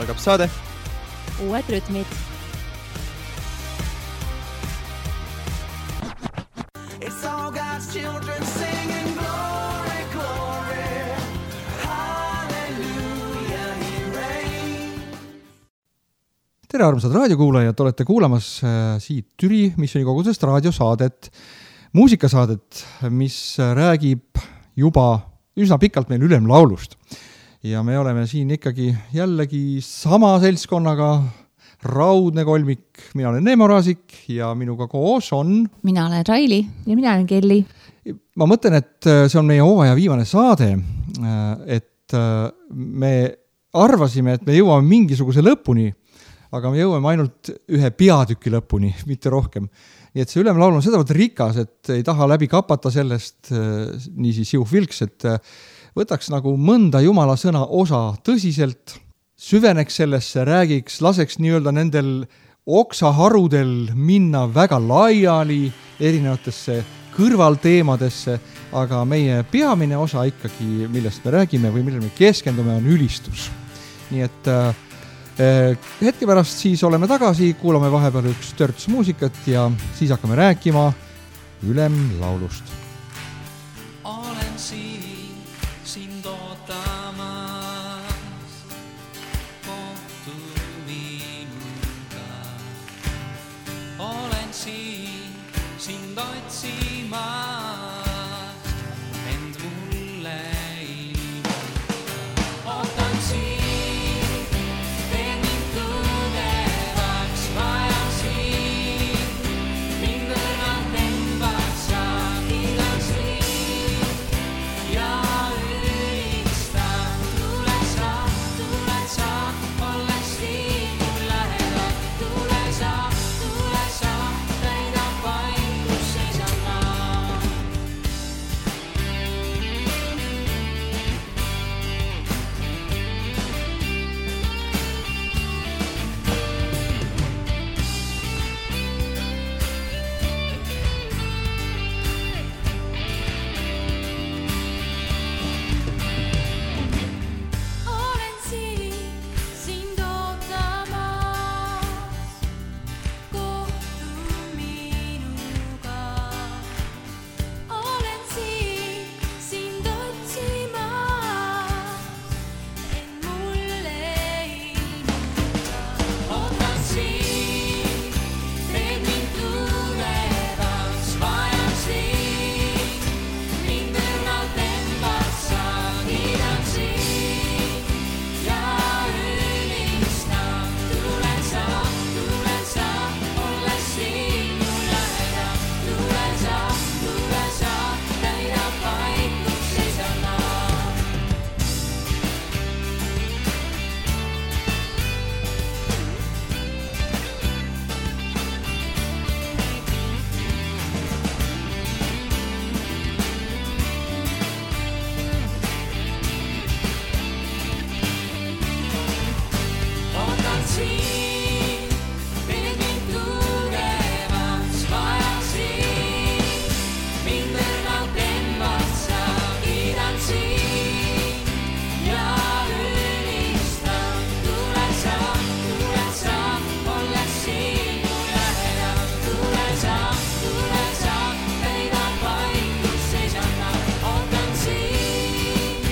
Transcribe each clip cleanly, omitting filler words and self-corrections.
algab saade. Uued rütmid. It's all God's children singing glory, glory, hallelujah, he reigns. Tere armsad raadiokuulajad, olete kuulamas siit Türi Missionikogudusest raadiosaadet, muusikasaadet, mis räägib juba üsna pikalt meil ülemlaulust. Ja me oleme siin ikkagi jällegi sama seltskonnaga, raudne kolmik, mina olen Neemo Raasik ja minuga koos on... Mina olen Raili ja mina olen Kelly. Ma mõtlen, et see on meie hooaja viimane saade, et me arvasime, et me jõuame mingisuguse lõpuni, aga me jõuame ainult ühe peatüki lõpuni, mitte rohkem. Nii et see ülemlaul on sedavõrd rikas, et ei taha läbi kapata sellest niisiis jõuvilks, et võtaks nagu mõnda Jumala sõna osa tõsiselt, süveneks sellesse, räägiks, laseks nii-öelda nendel oksaharudel minna väga laiali erinevatesse kõrvalteemadesse, aga meie peamine osa ikkagi, millest me räägime või millele me keskendume, on ülistus. Nii et hetke pärast siis oleme tagasi, kuulame vahepeal üks törts muusikat ja siis hakkame rääkima ülemlaulust. Olen sind ootamas, kohtu minuga. Olen sind otsimas, end mulle ilmuda. Ootan sind, teen mind tugevaks, vajan sind, mind õrnalt embad sa, kiidan sind ja ülistan. Tule sa, olles siin mul lähedal. Tule sa, täida paik, kus seisan ma. Olen sind ootamas, kohtu minuga. Olen sind otsimas, end mulle ilmuda. Ootan sind, teed mind tugevaks, vajan sind, mind õrnalt embad sa, kiidan sind ja ülistan. Tule sa, olles siin mul lähedal. Tule sa, täida paik, kus seisan ma. Ootan sind, teed mind tugevaks, vajan sind, mind õrnalt embad sa, kiidan sind ja ülistan. Tule sa, olles siin mul lähedal. Tule sa, täida paik, kus seisan ma. Ootan sind,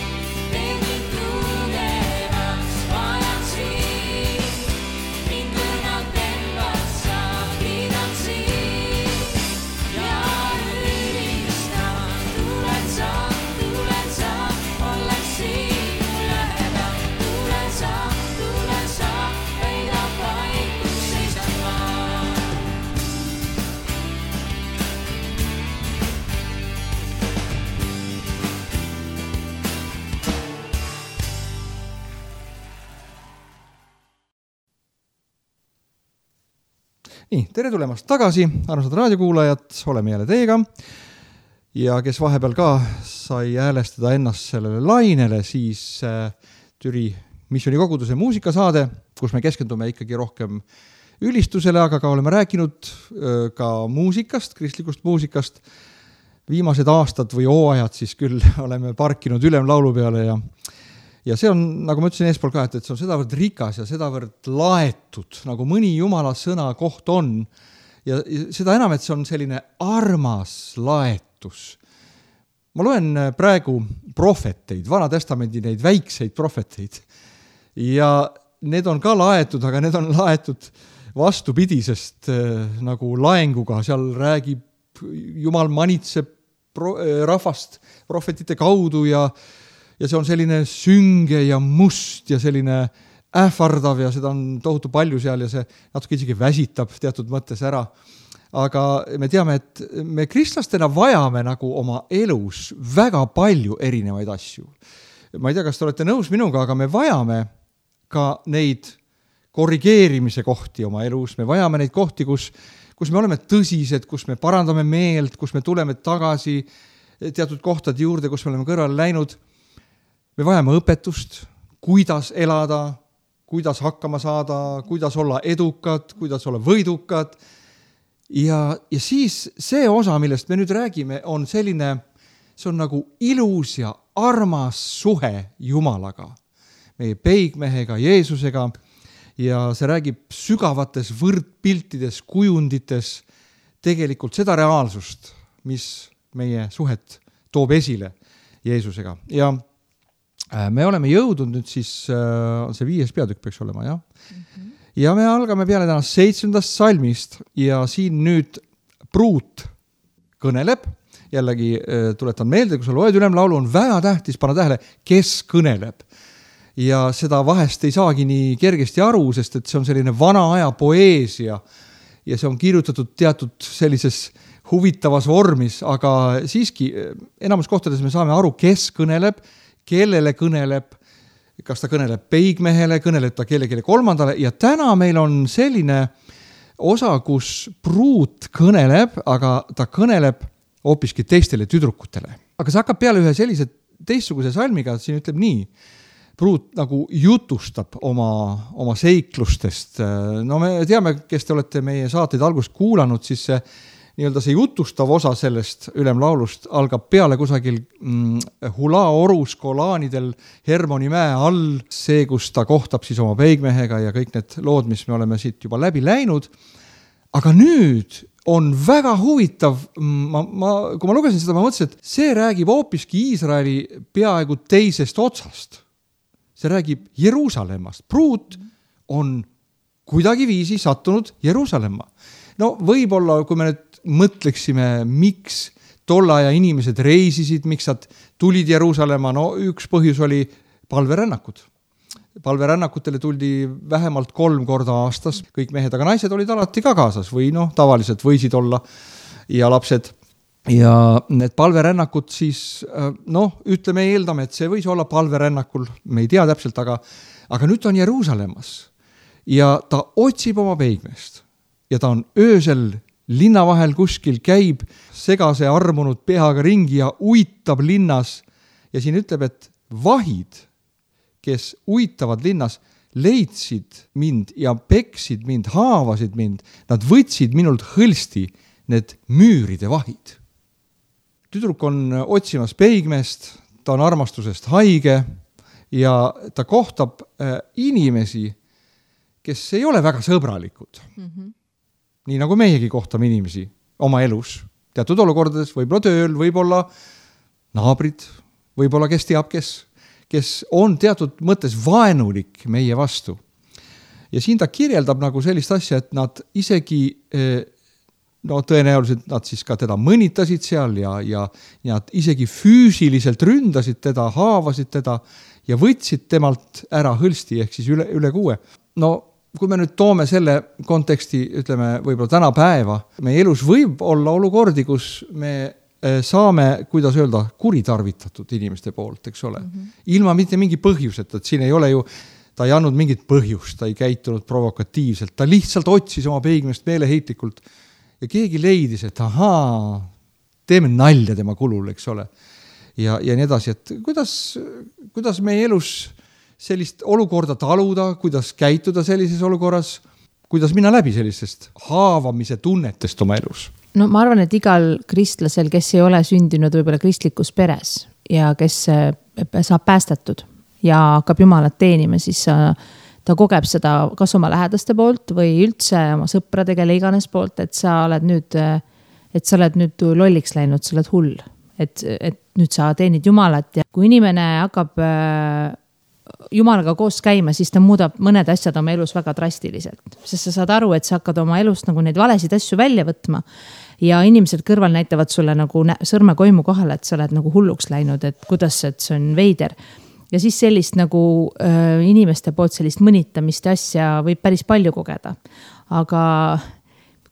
teed mind tugevaks, vajan sind, mind õrnalt embad sa, kiidan sind ja ülistan. Tule sa, olles siin mul lähedal. Tule sa, täida paik, kus seisan ma. Nii, tere tulemast tagasi, armsad raadiokuulajad, oleme jälle teiega ja kes vahepeal ka sai häälestada ennast sellele lainele, siis Türi Missionikoguduse muusikasaade, kus me keskendume ikkagi rohkem ülistusele, aga ka oleme rääkinud ka muusikast, kristlikust muusikast. Viimased aastad või hooajad siis küll oleme parkinud ülemlaulu peale ja see on, nagu ma ütlesin eespool ka, et see on sedavõrd rikas ja sedavõrd laetud, nagu mõni Jumala sõna koht on, ja seda enam, et see on selline armas laetus. Ma loen praegu prohveteid, Vana Testamendi neid väikseid prohveteid, ja need on ka laetud, aga need on laetud vastupidisest nagu laenguga, seal räägib, Jumal manitseb rahvast prohvetite kaudu ja see on selline sünge ja must ja selline ähvardav ja seda on tohutu palju seal ja see natuke isegi väsitab teatud mõttes ära. Aga me teame, et me kristlastena vajame nagu oma elus väga palju erinevaid asju. Ma ei tea, kas te olete nõus minuga, aga me vajame ka neid korrigeerimise kohti oma elus, me vajame neid kohti, kus me oleme tõsised, kus me parandame meelt, kus me tuleme tagasi teatud kohtade juurde, kus me oleme kõrvale läinud. Me vajame õpetust, kuidas elada, kuidas hakkama saada, kuidas olla edukad, kuidas olla võidukad. Ja siis see osa, millest me nüüd räägime, on selline, see on nagu ilus ja armas suhe Jumalaga, meie peigmehega, Jeesusega, ja see räägib sügavates võrdpiltides, kujundites tegelikult seda reaalsust, mis meie suhet toob esile Jeesusega. Ja me oleme jõudnud nüüd siis, see 5. peatükk peaks olema, jah? Ja me algame peale tänast 7. salmist ja siin nüüd pruut kõneleb, jällegi tuletan meelde, kui sa loed ülemlaulu, on väga tähtis panna tähele, kes kõneleb. Ja seda vahest ei saagi nii kergesti aru, sest et see on selline vana aja poeesia ja see on kirjutatud teatud sellises huvitavas vormis, aga siiski enamus kohtades me saame aru, kes kõneleb, kellele kõneleb, kas ta kõneleb peigmehele, kõneleb ta kellelegi kolmandale ja täna meil on selline osa, kus pruut kõneleb, aga ta kõneleb hoopiski teistele tüdrukutele. Aga see hakkab peale ühe sellise teistsuguse salmiga, et siin ütleb nii, pruut nagu jutustab oma seiklustest. No me teame, kes te olete meie saateid algust kuulanud, siis see jutustav osa sellest ülemlaulust algab peale kusagil Hula orus kolaanidel Hermoni mäe all, see, kus ta kohtab siis oma peigmehega ja kõik need lood, mis me oleme siit juba läbi läinud. Aga nüüd on väga huvitav, kui ma lugesin seda, ma mõtlesin, et see räägib hoopiski Iisraeli peaaegu teisest otsast. See räägib Jeruusalemmast. Pruut on kuidagi viisi sattunud Jeruusalemma. No võib-olla, kui me nüüd mõtleksime, miks tolla aja inimesed reisisid, miks nad tulid Jeruusalemma, no üks põhjus oli palverännakud. Palverännakutele tuldi vähemalt 3 korda aastas, kõik mehed, aga naised olid alati ka kaasas või tavaliselt võisid olla ja lapsed. Ja need palverännakud siis, ütleme, eeldame, et see võis olla palverännakul, me ei tea täpselt, aga nüüd ta on Jeruusalemmas ja ta otsib oma peigmest ja ta on öösel linna vahel kuskil käib segase armunud peaga ringi ja uitab linnas ja siin ütleb, et vahid, kes uitavad linnas, leidsid mind ja peksid mind, haavasid mind, nad võtsid minult hõlsti need müüride vahid. Tüdruk on otsimas peigmest, ta on armastusest haige ja ta kohtab inimesi, kes ei ole väga sõbralikud. Nii nagu meiegi kohtame inimesi oma elus, teatud olukordades, võib-olla tööl, võib-olla naabrid, võib-olla kes teab, kes on teatud mõttes vaenulik meie vastu. Ja siin ta kirjeldab nagu sellist asja, et nad isegi, tõenäoliselt nad siis ka teda mõnitasid seal ja nad isegi füüsiliselt ründasid teda, haavasid teda ja võtsid temalt ära hõlsti ehk siis üle 6. Kui me nüüd toome selle konteksti, ütleme, võib-olla täna päeva, meie elus võib olla olukordi, kus me saame, kuidas öelda, kuritarvitatud inimeste poolt, eks ole. Ilma mitte mingi põhjuseta, et siin ei ole ju, ta ei andnud mingit põhjust, ta ei käitunud provokatiivselt, ta lihtsalt otsis oma peigmest meeleheitlikult ja keegi leidis, et teeme nalja tema kulul, eks ole. Ja nii edasi, et kuidas meie elus sellist olukorda taluda, kuidas käituda sellises olukorras, kuidas minna läbi sellisest haavamise tunnetest oma elus? Ma arvan, et igal kristlasel, kes ei ole sündinud võib-olla kristlikus peres ja kes saab päästetud, ja hakkab Jumalat teenima, siis ta kogeb seda kas oma lähedaste poolt või üldse oma sõprade, kelle iganes poolt, et sa oled nüüd lolliks läinud, sa oled hull. Et nüüd sa teenid Jumalat ja kui inimene hakkab Jumalaga koos käima, siis ta muudab mõned asjad oma elus väga drastiliselt. Sest sa saad aru, et sa hakkad oma elust nagu neid valesid asju välja võtma ja inimesed kõrval näitavad sulle nagu sõrme koimu kohale, et sa oled nagu hulluks läinud, et kuidas see on veider. Ja siis sellist nagu inimeste poolt sellist mõnitamist asja võib päris palju kogeda. Aga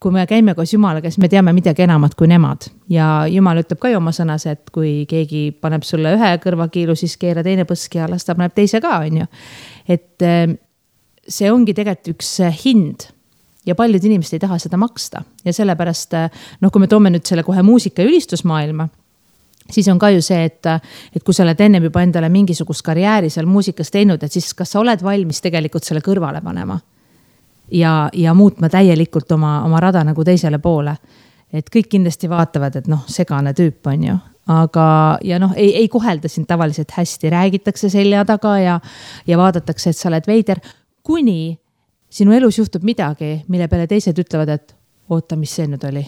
kui me käime koos Jumalaga, siis me teame midagi enamat kui nemad. Ja Jumal ütleb ka ju oma sõnas, et kui keegi paneb sulle ühe kõrvakiilu, siis keera teine põski ja las ta paneb teise ka, on ju. Et see ongi tegelikult üks hind ja paljud inimesed ei taha seda maksta. Ja sellepärast, kui me toome nüüd selle kohe muusika ja ülistusmaailma, siis on ka ju see, et kui sa oled ennem juba endale mingisugust karjääri seal muusikas teinud, et siis kas sa oled valmis tegelikult selle kõrvale panema ja muutma täielikult oma rada nagu teisele poole. Et kõik kindlasti vaatavad, et segane tüüp on ju. Aga ei kohelda sind tavaliselt hästi, räägitakse selja taga ja vaadatakse, et sa oled veider, kuni sinu elus juhtub midagi, mille peale teised ütlevad, et oota, mis see nüüd oli?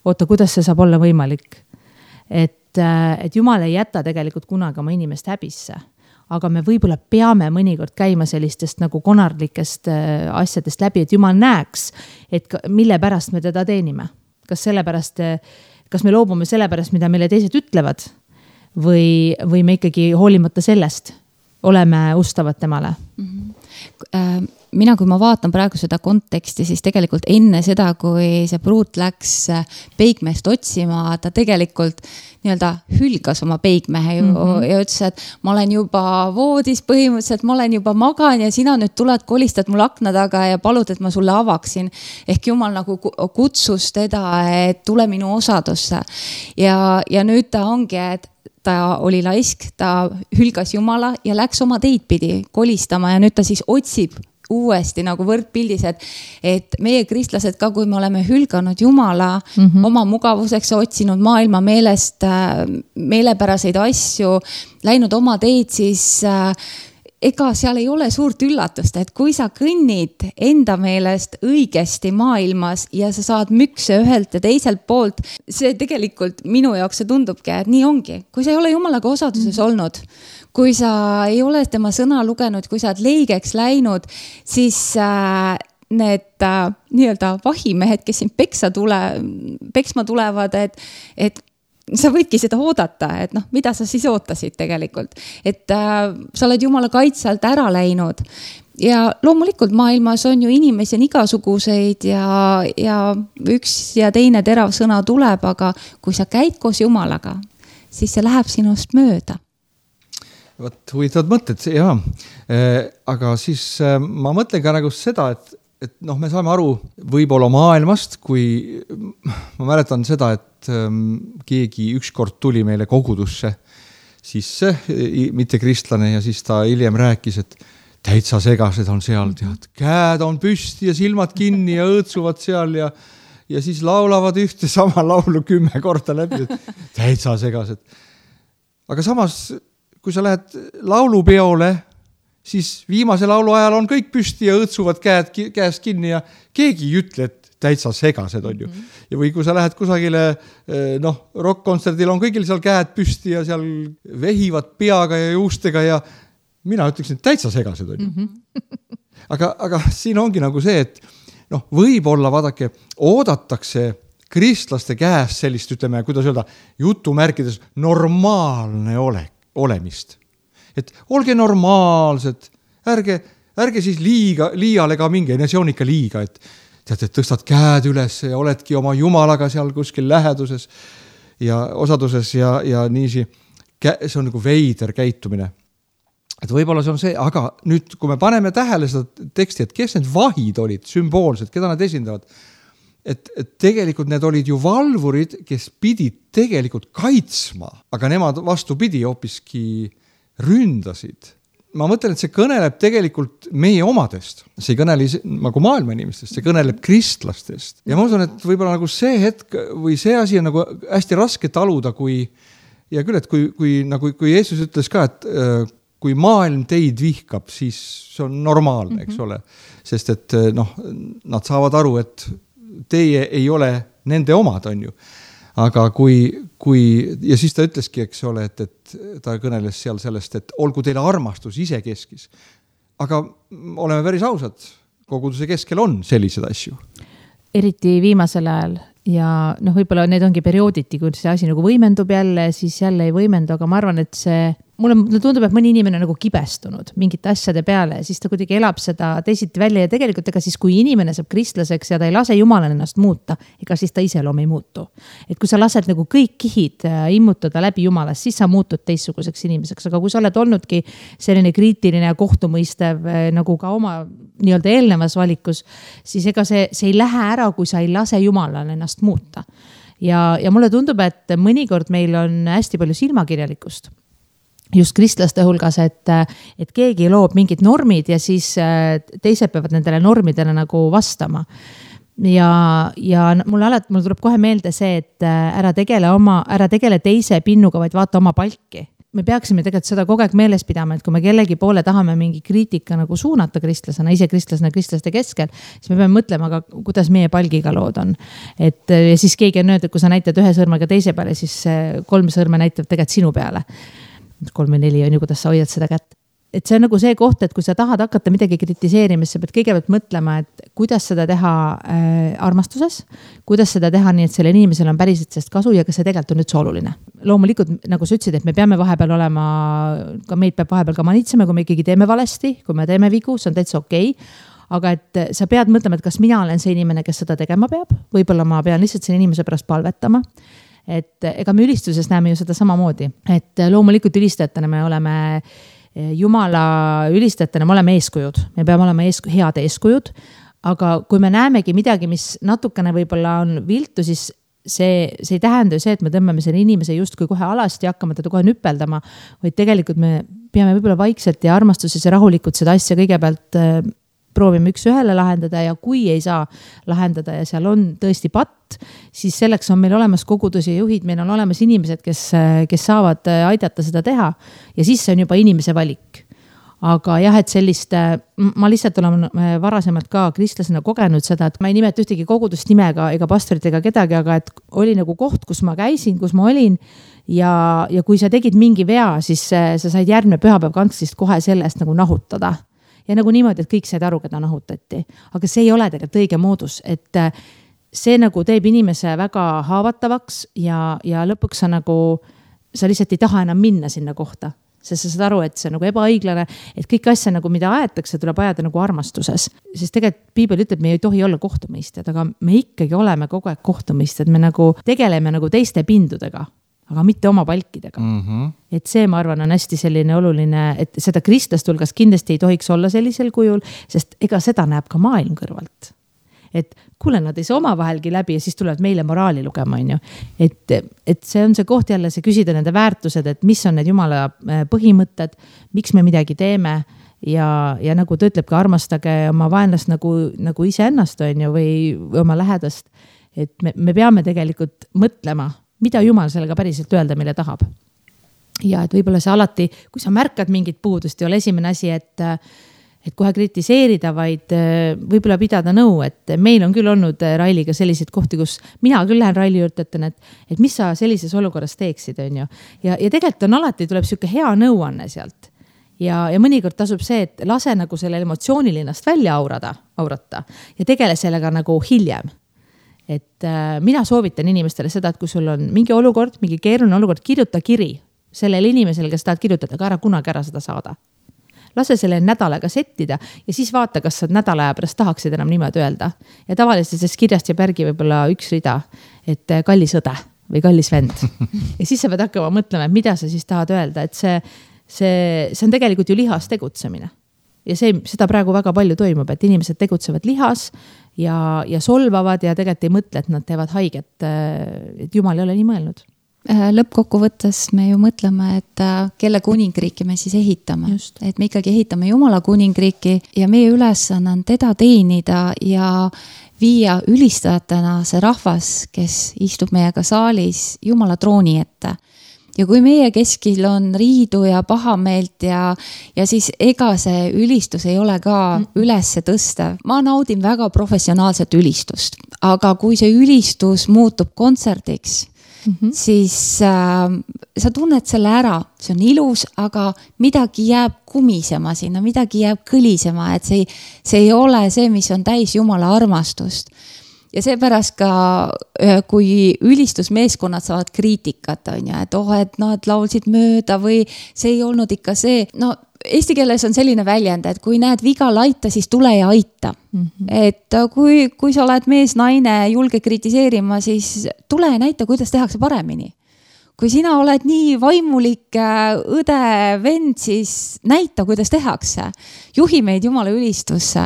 Oota, kuidas see saab olla võimalik? Et Jumal ei jäta tegelikult kunagi oma inimest häbisse. Aga me võib-olla peame mõnikord käima sellistest nagu konarlikest asjadest läbi, et Jumal näeks, et mille pärast me teda teenime. Kas me loobume selle pärast, mida meile teised ütlevad või me ikkagi hoolimata sellest oleme ustavad temale? Mina, kui ma vaatan praegu seda konteksti, siis tegelikult enne seda, kui see pruut läks peigmeest otsima, ta tegelikult hülgas oma peigmehe ja ütles, et ma olen juba voodis põhimõtteliselt, ma olen juba magan ja sina nüüd tuled, kolistad mul akna taga ja palud, et ma sulle avaksin. Ehk Jumal nagu kutsus teda, et tule minu osadusse. Ja nüüd ta ongi, et ta oli laisk, ta hülgas Jumala ja läks oma teid pidi kolistama ja nüüd ta siis otsib uuesti nagu võrdpildis, et meie kristlased ka, kui me oleme hülganud Jumala oma mugavuseks, otsinud maailma meelest meelepäraseid asju, läinud oma teid, siis ega seal ei ole suurt üllatust, et kui sa kõnnid enda meelest õigesti maailmas ja sa saad mükse ühelt ja teiselt poolt, see tegelikult minu jaoks see tundubki, et nii ongi. Kui sa ei ole Jumalaga osaduses olnud, kui sa ei ole tema sõna lugenud, kui sa oled leigeks läinud, siis need nii-öelda vahimehed, kes sind peksma tulevad, et sa võidki seda oodata, et mida sa siis ootasid tegelikult. Et sa oled Jumala kaitse alt ära läinud. Ja loomulikult maailmas on ju inimesi on igasuguseid ja üks ja teine terav sõna tuleb, aga kui sa käid koos Jumalaga, siis see läheb sinust mööda. Võt, huvitavad mõtted, jah. Aga siis ma mõtlen ka nagu seda, et me saame aru võib-olla maailmast, kui ma mäletan seda, et keegi ükskord tuli meile kogudusse sisse, mitte kristlane, ja siis ta hiljem rääkis, et täitsa segased on seal, tead, käed on püsti ja silmad kinni ja õõtsuvad seal ja siis laulavad ühte sama laulu 10 korda läbi, et täitsa segased. Aga samas kui sa lähed laulupeole, siis viimase laulu ajal on kõik püsti ja õõtsuvad käest kinni ja keegi ei ütle, et täitsa segased on ju. Ja või kui sa lähed kusagile, rock-kontserdil on kõigil seal käed püsti ja seal vehivad peaga ja juustega ja mina ütleksin, et täitsa segased on ju. Aga siin ongi nagu see, et võib-olla vaadake, oodatakse kristlaste käest sellist, ütleme, kuidas öelda, jutumärkides normaalne olemist. Et olge normaalsed, ärge siis liiale ka minge, see on ikka liiga, et tead, et tõstad käed üles ja oledki oma Jumalaga seal kuskil läheduses ja osaduses ja niisi. See on nagu veider käitumine. Et võib-olla see on see, aga nüüd, kui me paneme tähele seda teksti, et kes need vahid olid, sümboolsed, keda nad esindavad, et tegelikult need olid ju valvurid, kes pidid tegelikult kaitsma, aga nemad vastupidi hoopiski ründasid. Ma mõtlen, et see kõneleb tegelikult meie omadest. See ei kõneli nagu maailma inimestest, see kõneleb kristlastest. Ja ma usun, et võib-olla nagu see hetk või see asi on nagu hästi raske taluda, kui Jeesus ütles ka, et kui maailm teid vihkab, siis see on normaalne, eks ole. Sest et nad saavad aru, et teie ei ole nende omad, on ju. Aga ja siis ta ütleski, eks ole, et ta kõneles seal sellest, et olgu teile armastus ise keskis. Aga oleme päris ausad, koguduse keskel on sellised asju. Eriti viimasel ajal ja võib-olla need ongi periooditi, kui see asi nagu võimendub jälle, siis jälle ei võimendu, aga ma arvan, et mulle tundub, et mõni inimene on nagu kibestunud mingite asjade peale ja siis ta kuidagi elab seda teisiti välja ja tegelikult ega siis, kui inimene saab kristlaseks ja ta ei lase Jumalal ennast muuta, ega siis ta iseloom ei muutu. Et kui sa lased nagu kõik kihid immutada läbi Jumalast, siis sa muutud teistsuguseks inimeseks, aga kui sa oled olnudki selline kriitiline ja kohtumõistev nagu ka oma nii-öelda eelnevas valikus, siis ega see ei lähe ära, kui sa ei lase Jumalal ennast muuta. Ja mulle tundub, et mõnikord meil on hästi palju silmakirjalikkust just kristlaste hulgas, et keegi loob mingid normid ja siis teised peavad nendele normidele nagu vastama. Ja mulle tuleb kohe meelde see, et ära tegele teise pinnuga, vaid vaata oma palki. Me peaksime tegelikult seda kogu aeg meeles pidama, et kui me kellegi poole tahame mingi kriitika nagu suunata kristlasena, ise kristlaste keskel, siis me peame mõtlema, aga kuidas meie palgiga lood on. Ja siis keegi on öelnud, et kui sa näitad ühe sõrmega teise peale, siis 3 sõrme näitab tegelikult sinu peale. 3 või 4 on ju, kuidas sa hoiad seda kätt. Et see on nagu see koht, et kui sa tahad hakata midagi kritiseerima, siis sa pead kõigepealt mõtlema, et kuidas seda teha armastuses, kuidas seda teha nii, et selle inimesel on päriselt sest kasu ja kas see tegelikult on üldse oluline. Loomulikult, nagu sa ütlesid, et me peame vahepeal olema, ka meid peab vahepeal ka manitsema, kui me ikkagi teeme valesti, kui me teeme vigu, see on täitsa okei. Aga et sa pead mõtlema, et kas mina olen see inimene, kes seda tegema peab, võib-olla ma pean lihtsalt selle inimese pärast palvetama. Et ega me ülistuses näeme ju seda samamoodi, et loomulikult ülistajatena me oleme Jumala ülistajatena, me oleme eeskujud, me peame olema head eeskujud, aga kui me näemegi midagi, mis natukene võib-olla on viltu, siis see ei tähenda ju see, et me tõmbame selle inimese justkui kohe alasti ja hakkame teda kohe nüpeldama, vaid tegelikult me peame võib-olla vaikselt ja armastuses ja rahulikult seda asja kõigepealt proovime üks ühele lahendada ja kui ei saa lahendada ja seal on tõesti patt, siis selleks on meil olemas koguduse juhid, meil on olemas inimesed, kes saavad aidata seda teha ja siis see on juba inimese valik. Aga jah, et ma lihtsalt olen varasemalt ka kristlasena kogenud seda, et ma ei nimeta ühtegi kogudust nimega ega pastorit ega kedagi, aga et oli nagu koht, kus ma käisin, kus ma olin ja kui sa tegid mingi vea, siis sa said järgmine pühapäev kantsist kohe sellest nagu nahutada. Ja nagu niimoodi, et kõik said aru, keda nahutati. Aga see ei ole tegelikult õige moodus, et see nagu teeb inimese väga haavatavaks ja lõpuks sa lihtsalt ei taha enam minna sinna kohta. Sest sa saad aru, et see on nagu ebaõiglane, et kõik asja nagu mida aetakse, tuleb ajada nagu armastuses. Sest tegelikult Piibel ütleb, me ei tohi olla kohtumõistjad, aga me ikkagi oleme kogu aeg kohtumõistjad. Me nagu tegeleme nagu teiste pindudega, aga mitte oma palkidega. Et see, ma arvan, on hästi selline oluline, et seda kristlaste hulgas kindlasti ei tohiks olla sellisel kujul, sest ega seda näeb ka maailm kõrvalt. Et kuule, nad ei saa oma vahelgi läbi ja siis tulevad meile moraali lugema, on ju. Et see on see koht jälle, see küsida nende väärtused, et mis on need Jumala põhimõtted, miks me midagi teeme ja nagu ta ütleb ka, armastage oma vaenlast nagu iseennast, on ju, või oma lähedast. Et me peame tegelikult mõtlema, mida Jumal sellega päriselt öelda, mille tahab. Ja et võib-olla see alati, kui sa märkad mingit puudust, ei ole esimene asi, et kohe kritiseerida, vaid võib-olla pidada nõu, et meil on küll olnud Railiga selliseid kohti, kus mina küll lähen Raili juurde, ütlen, et mis sa sellises olukorras teeksid, on ju. Ja tegelikult on alati, tuleb siuke hea nõuanne sealt. Ja mõnikord tasub see, et lase nagu selle emotsioonilinast välja aurata ja tegele sellega nagu hiljem. Et mina soovitan inimestele seda, et kui sul on mingi olukord, mingi keeruline olukord, kirjuta kiri sellele inimesele, kes tahad kirjutada, aga ära kunagi ära seda saada. Lase selle nädalaga settida ja siis vaata, kas sa nädala aja pärast tahaksid enam niimoodi öelda. Ja tavaliselt sellest kirjast jääb järgi võib-olla üks rida, et kallis õde või kallis vend. Ja siis sa pead hakkama mõtlema, et mida sa siis tahad öelda, et see on tegelikult ju lihas tegutsemine. Ja seda praegu väga palju toimub, et inimesed tegutsevad lihas ja solvavad ja tegelikult ei mõtle, et nad teevad haiget, et Jumal ei ole nii mõelnud. Lõppkokkuvõttes me ju mõtleme, et kelle kuningriiki me siis ehitame. Just. Et me ikkagi ehitame Jumala kuningriiki ja meie ülesanne on teda teenida ja viia ülistajatena see rahvas, kes istub meiega saalis Jumala trooni ette. ja kui meie keskil on riidu ja pahameelt ja siis ega see ülistus ei ole ka ülesse tõstev. Ma naudin väga professionaalset ülistust, aga kui see ülistus muutub kontserdiks, siis sa tunned selle ära, see on ilus, aga midagi jääb kumisema sinna, midagi jääb kõlisema, et see ei ole see, mis on täis Jumala armastust. Ja seepärast ka, kui ülistusmeeskonnad saavad kriitikat, on ja, et nad laulsid mööda või see ei olnud ikka see, no eesti keeles on selline väljend, et kui näed viga laita, siis tule ja aita. Et kui sa oled mees, naine, julge kritiseerima, siis tule ja näita, kuidas tehakse paremini. Kui sina oled nii vaimulik õde, vend, siis näita, kuidas tehakse. Juhi meid Jumala ülistusse.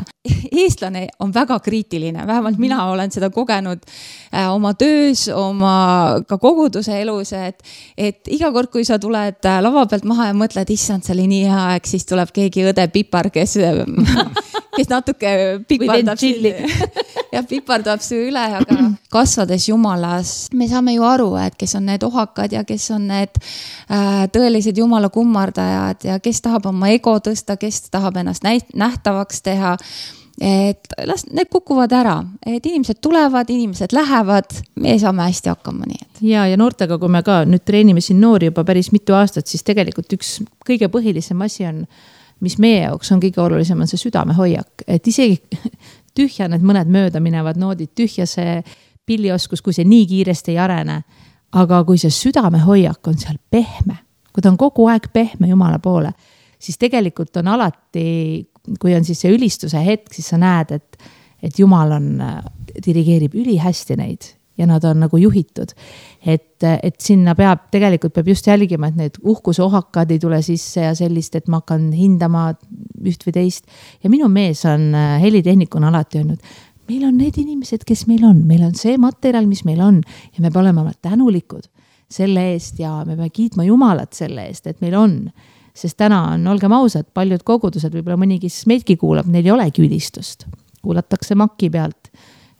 Eestlane on väga kriitiline, vähemalt mina olen seda kogenud oma töös, oma ka koguduse elus, et iga kord, kui sa tuled lava pealt maha ja mõtled, issand, see oli nii hea, eks siis tuleb keegi õde Pipar, kes natuke pipardab ja pipardab su üle, aga kasvades Jumalas, me saame ju aru, et kes on need ohakad ja kes on need tõelised Jumala kummardajad ja kes tahab oma ego tõsta, kes tahab ennast nähtavaks teha, et need kukuvad ära, et inimesed tulevad, inimesed lähevad, me saame hästi hakkama nii. Ja noortega, kui me ka nüüd treenime siin noori juba päris mitu aastat, siis tegelikult üks kõige põhilisem asi on, mis meie jaoks on kõige olulisem, on see südamehoiak, et isegi tühja need mõned mööda minevad noodid, tühja see pillioskus, kui see nii kiiresti ei arene, aga kui see südamehoiak on seal pehme, kui ta on kogu aeg pehme Jumala poole, siis tegelikult on alati, kui on siis see ülistuse hetk, siis sa näed, et Jumal dirigeerib ülihästi neid ja nad on nagu juhitud. Et sinna tegelikult peab just jälgima, et need uhkusohakad ei tule sisse ja sellist, et ma hakkan hindama üht või teist. Ja minu mees on helitehnikuna alati öelnud, meil on need inimesed, kes meil on see materjal, mis meil on ja me peame olema tänulikud selle eest ja me peame kiitma Jumalat selle eest, et meil on. Sest täna on, olgem ausad, paljud kogudused, võib-olla mõni, kes meidki kuulab, neil ei olegi ülistust. Kuulatakse makki pealt.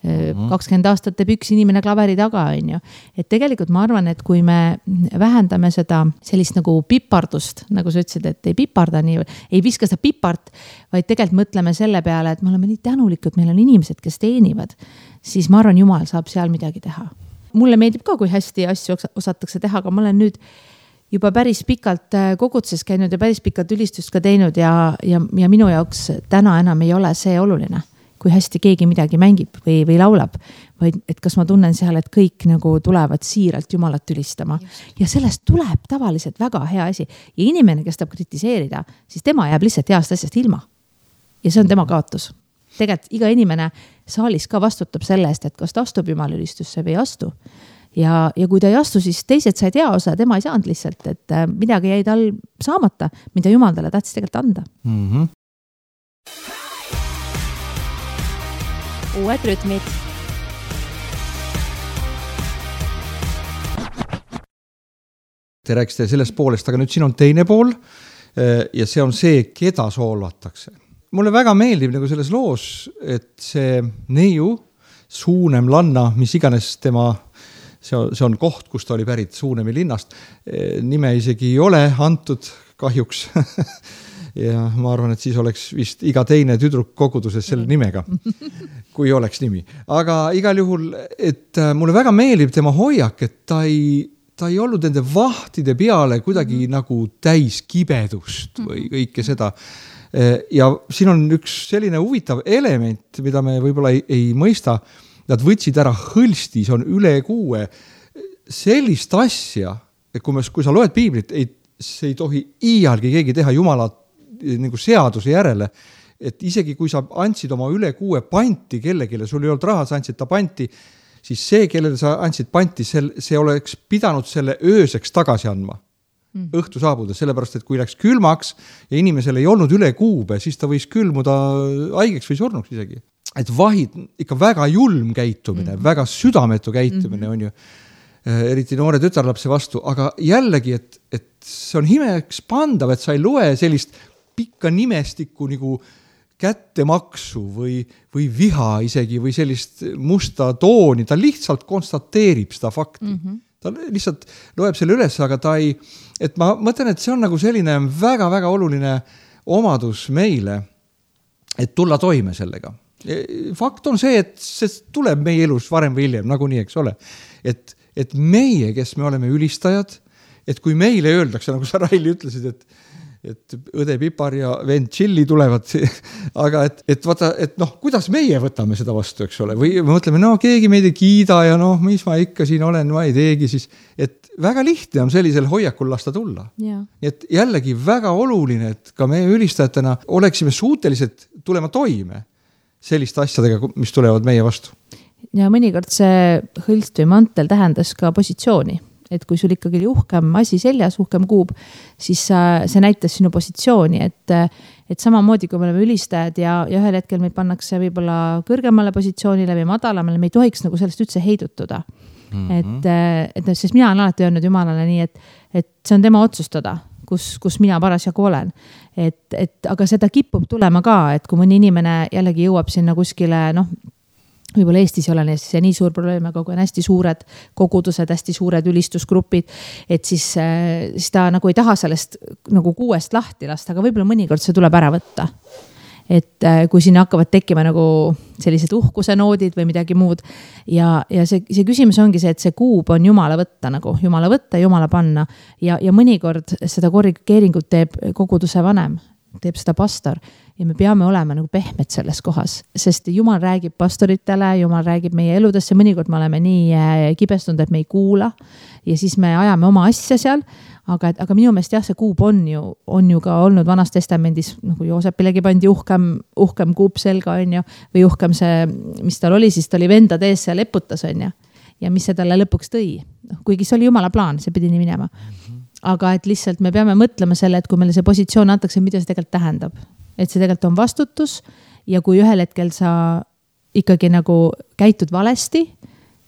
20 aastat teeb üks inimene klaveri taga, on ju. Et tegelikult ma arvan, et kui me vähendame seda sellist nagu pipardust, nagu sa ütlesid, et ei piparda nii, ei viska seda pipart, vaid tegelikult mõtleme selle peale, et me oleme nii tänulikud, meil on inimesed, kes teenivad, siis ma arvan, Jumal saab seal midagi teha. Mulle meeldib ka, kui hästi asju osatakse teha, aga ma olen nüüd juba päris pikalt kogudses käinud ja päris pikalt ülistust ka teinud ja minu jaoks täna enam ei ole see oluline, kui hästi keegi midagi mängib või laulab, vaid et kas ma tunnen seal, et kõik nagu tulevad siiralt Jumalat ülistama. Ja sellest tuleb tavaliselt väga hea asi. Ja inimene, kes tahab kritiseerida, siis tema jääb lihtsalt heast asjast ilma. Ja see on tema kaotus. Tegelikult iga inimene saalis ka vastutab selle eest, et kas ta astub Jumala ülistusse või ei astu. Ja kui ta ei astu, siis teised said hea osa, tema ei saanud lihtsalt, et midagi jäi tal saamata, mida Jumal talle tahtis tegelikult anda. Uued rütmid. Te rääkisite sellest poolest, aga nüüd siin on teine pool ja see on see, keda soolvatakse. Mulle väga meeldib nagu selles loos, et see neiu, Suunem Lanna, mis iganes tema see on koht, kus ta oli pärit Suunemi linnast. Nime isegi ei ole antud kahjuks. Ja ma arvan, et siis oleks vist iga teine tüdruk koguduses selle nimega, kui oleks nimi. Aga igal juhul, et mulle väga meeldib tema hoiak, et ta ei olnud nende vahtide peale kuidagi nagu täis kibedust või kõike seda. Ja siin on üks selline huvitav element, mida me võib-olla ei mõista. Nad võtsid ära hõlsti, see on üle 6. Sellist asja, et kui sa loed piiblit, see ei tohi iialgi keegi teha Jumala nagu seaduse järele, et isegi kui sa andsid oma üle 6 panti kellegile, sul ei olnud raha, sa andsid ta panti, siis see, kellele sa andsid panti, see oleks pidanud selle ööseks tagasi andma. Õhtu saabuda, sellepärast, et kui läks külmaks ja inimesel ei olnud üle 6, siis ta võis külmuda haigeks või surnuks isegi. Et vahid ikka väga julm käitumine, väga südametu käitumine on ju, eriti noore tütarlapse vastu, aga jällegi, et see on himeks pandav, et sa ei loe sellist pikka nimestikku nagu kättemaksu või viha isegi või sellist musta tooni, ta lihtsalt konstateerib seda fakti. ta lihtsalt loeb selle üles, aga ta ei, et ma mõtlen, et see on nagu selline väga-väga oluline omadus meile, et tulla toime sellega. Fakt on see, et see tuleb meie elus varem või hiljem, nagu nii, eks ole. Et meie, kes me oleme ülistajad, et kui meile öeldakse, nagu sa Raili ütlesid, et õde Pipar ja vend Chilli tulevad, aga et vaata, et noh, kuidas meie võtame seda vastu, eks ole, või me mõtleme, no keegi meid ei kiida ja noh, mis ma ikka siin olen, ma ei teegi siis, et väga lihtne on sellisel hoiakul lasta tulla. Nii et jällegi väga oluline, et ka meie ülistajatena oleksime suutelised tulema toime selliste asjadega, mis tulevad meie vastu. Ja mõnikord see hõlst või mantel tähendas ka positsiooni. Et kui sul ikkagi uhkem asi seljas, uhkem kuub, siis see näitas sinu positsiooni, et samamoodi kui me oleme ülistajad ja ühel hetkel meid pannakse võib-olla kõrgemale positsioonile või madalamale, me ei tohiks nagu sellest üldse heidutuda. Et sest mina olen alati öelnud Jumalale nii, et see on tema otsustada, kus mina parasjagu olen. Aga seda kipub tulema ka, et kui mõni inimene jällegi jõuab sinna kuskile, noh, võib-olla Eestis ei ole see nii suur probleem, aga kui on hästi suured kogudused, hästi suured ülistusgrupid, et siis ta nagu ei taha sellest nagu kuuest lahti lasta, aga võib-olla mõnikord see tuleb ära võtta. Et kui siin hakkavad tekkima nagu sellised uhkuse noodid või midagi muud ja see küsimus ongi see, et see kuub on Jumala võtta nagu, Jumala võtta, Jumala panna ja mõnikord seda korrigeeringut teeb koguduse vanem, teeb seda pastor ja me peame olema nagu pehmed selles kohas, sest Jumal räägib pastoritele, Jumal räägib meie eludesse, mõnikord me oleme nii kibestunud, et me ei kuula ja siis me ajame oma asja seal, aga minu meelest jah, see kuub on ju ka olnud Vanas Testamendis, nagu Joosepilegi pandi uhkem kuub selga, on ju, või uhkem see, mis tal oli, siis ta oli vendade ees seal eputas, on ju, ja mis see talle lõpuks tõi, kuigi see oli Jumala plaan, see pidi nii minema. Aga et lihtsalt me peame mõtlema selle, et kui meile see positsioon antakse, mida see tegelikult tähendab. Et see tegelikult on vastutus ja kui ühel hetkel sa ikkagi nagu käitud valesti,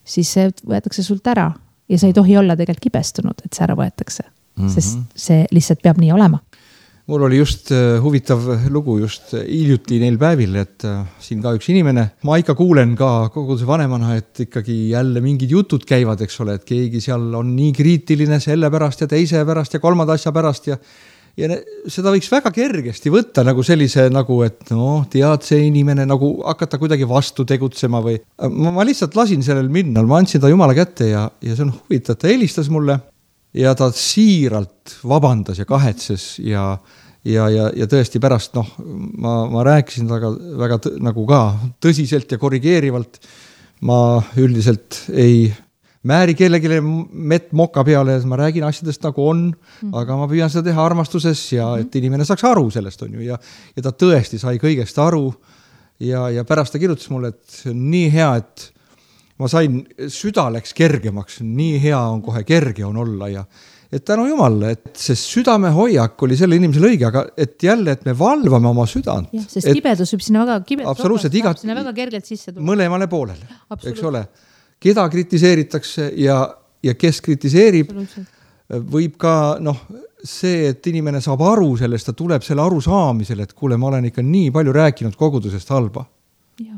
siis see võetakse sult ära ja sa ei tohi olla tegelikult kibestunud, et see ära võetakse, sest see lihtsalt peab nii olema. Mul oli just huvitav lugu just hiljuti neil päevil, et siin ka üks inimene, ma ikka kuulen ka koguduse vanemana, et ikkagi jälle mingid jutud käivad, eks ole, et keegi seal on nii kriitiline selle pärast ja teise pärast ja kolmanda asja pärast ja seda võiks väga kergesti võtta nagu sellise nagu, et noh, tead see inimene nagu hakata kuidagi vastu tegutsema või ma lihtsalt lasin sellel minna, ma andsin ta Jumala kätte ja see on huvitav, ta helistas mulle ja ta siiralt vabandas ja kahetses ja tõesti pärast, noh, ma rääkisin väga nagu ka tõsiselt ja korrigeerivalt. Ma üldiselt ei määri kellegile mett moka peale, ma räägin asjadest nagu on, aga ma püüan seda teha armastuses ja et inimene saaks aru sellest on ju ja ta tõesti sai kõigest aru ja pärast ta kirjutas mulle, et nii hea, et ma sain, süda läks kergemaks, nii hea on kohe kerge on olla ja et tänu Jumalale, et see südame hoiak oli selle inimesele õige, aga et jälle, et me valvame oma südant. Ja, sest kibedus võib sinna väga sinna väga kergelt sisse tulla. Mõlemale poolele, eks ole. Keda kritiseeritakse ja kes kritiseerib, võib ka see, et inimene saab aru sellest, ta tuleb selle aru saamisele, et kuule, ma olen ikka nii palju rääkinud kogudusest halba.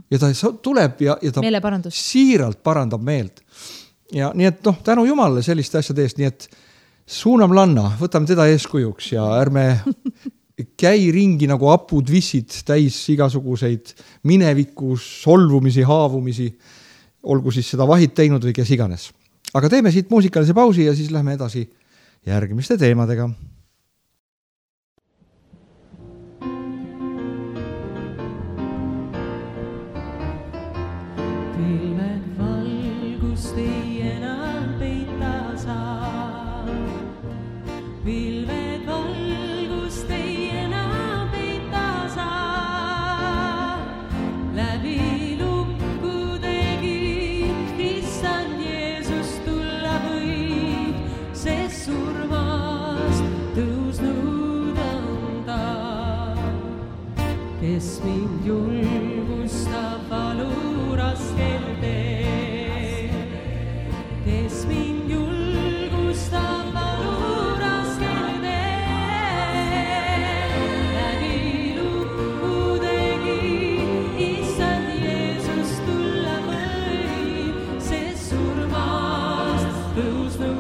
Ja ta tuleb ja ta siiralt parandab meelt. Ja nii et tänu Jumalale selliste asjade eest, nii et suunam lanna, võtame teda eeskujuks ja ärme käi ringi nagu apud vissid täis igasuguseid minevikus solvumisi, haavumisi, olgu siis seda vahid teinud või kes iganes. Aga teeme siit muusikalise pausi ja siis lähme edasi järgmiste teemadega. Pilved valgust ei enam peita saa. Pilved valgust ei enam peita saa. Läbi kes mind julgustab valu raskel teel. Kes mind julgustab valu raskel teel. Läbi lukkudegi Issand Jeesus tulla võib, sest surmast tõusnud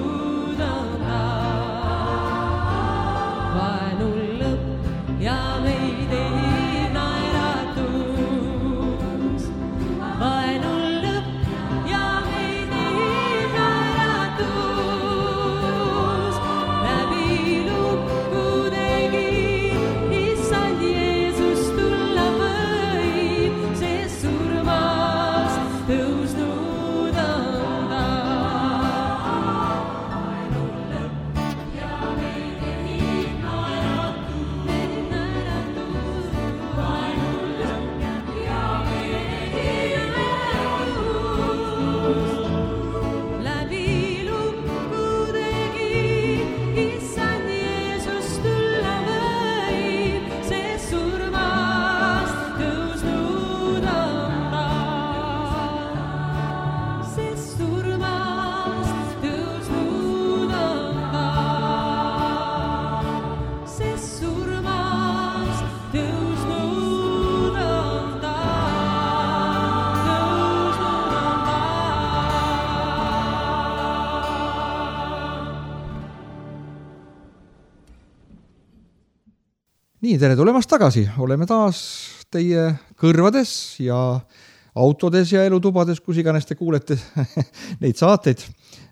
nii, tere tulemast tagasi, oleme taas teie kõrvades ja autodes ja elutubades, kus iganes te kuulete neid saateid.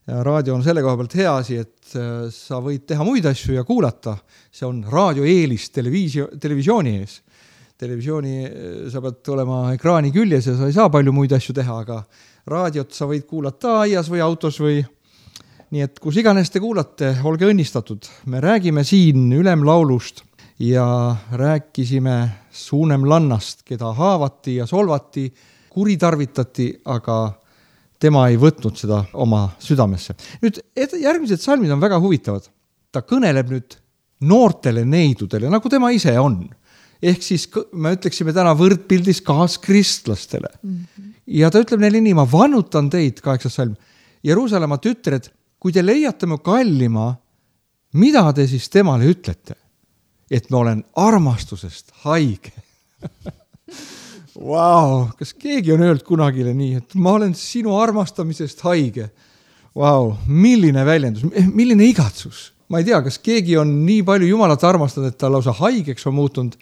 Raadio on selle koha pealt hea asi, et sa võid teha muid asju ja kuulata. See on raadioeelis televisiooni ees. Televisiooni sa pead olema ekraani küljes ja sa ei saa palju muid asju teha, aga raadiot sa võid kuulata aias või autos või nii, et kus iganes te kuulate, olge õnnistatud. Me räägime siin ülemlaulust ja rääkisime Suunemlannast, keda haavati ja solvati, kuritarvitati, aga tema ei võtnud seda oma südamesse. Nüüd järgmised salmid on väga huvitavad. Ta kõneleb nüüd noortele neidudele, nagu tema ise on. Ehk siis me ütleksime täna võrdpildis kaaskristlastele. Ja ta ütleb neile nii, ma vannutan teid, 8. salm, Jeruusalemma tütred, kui te leiate mu kallima, mida te siis temale ütlete? Et ma olen armastusest haige. Vau, kas keegi on öelnud kunagile nii, et ma olen sinu armastamisest haige? Vau, milline väljendus, milline igatsus. Ma ei tea, kas keegi on nii palju Jumalat armastanud, et ta lausa haigeks on muutunud.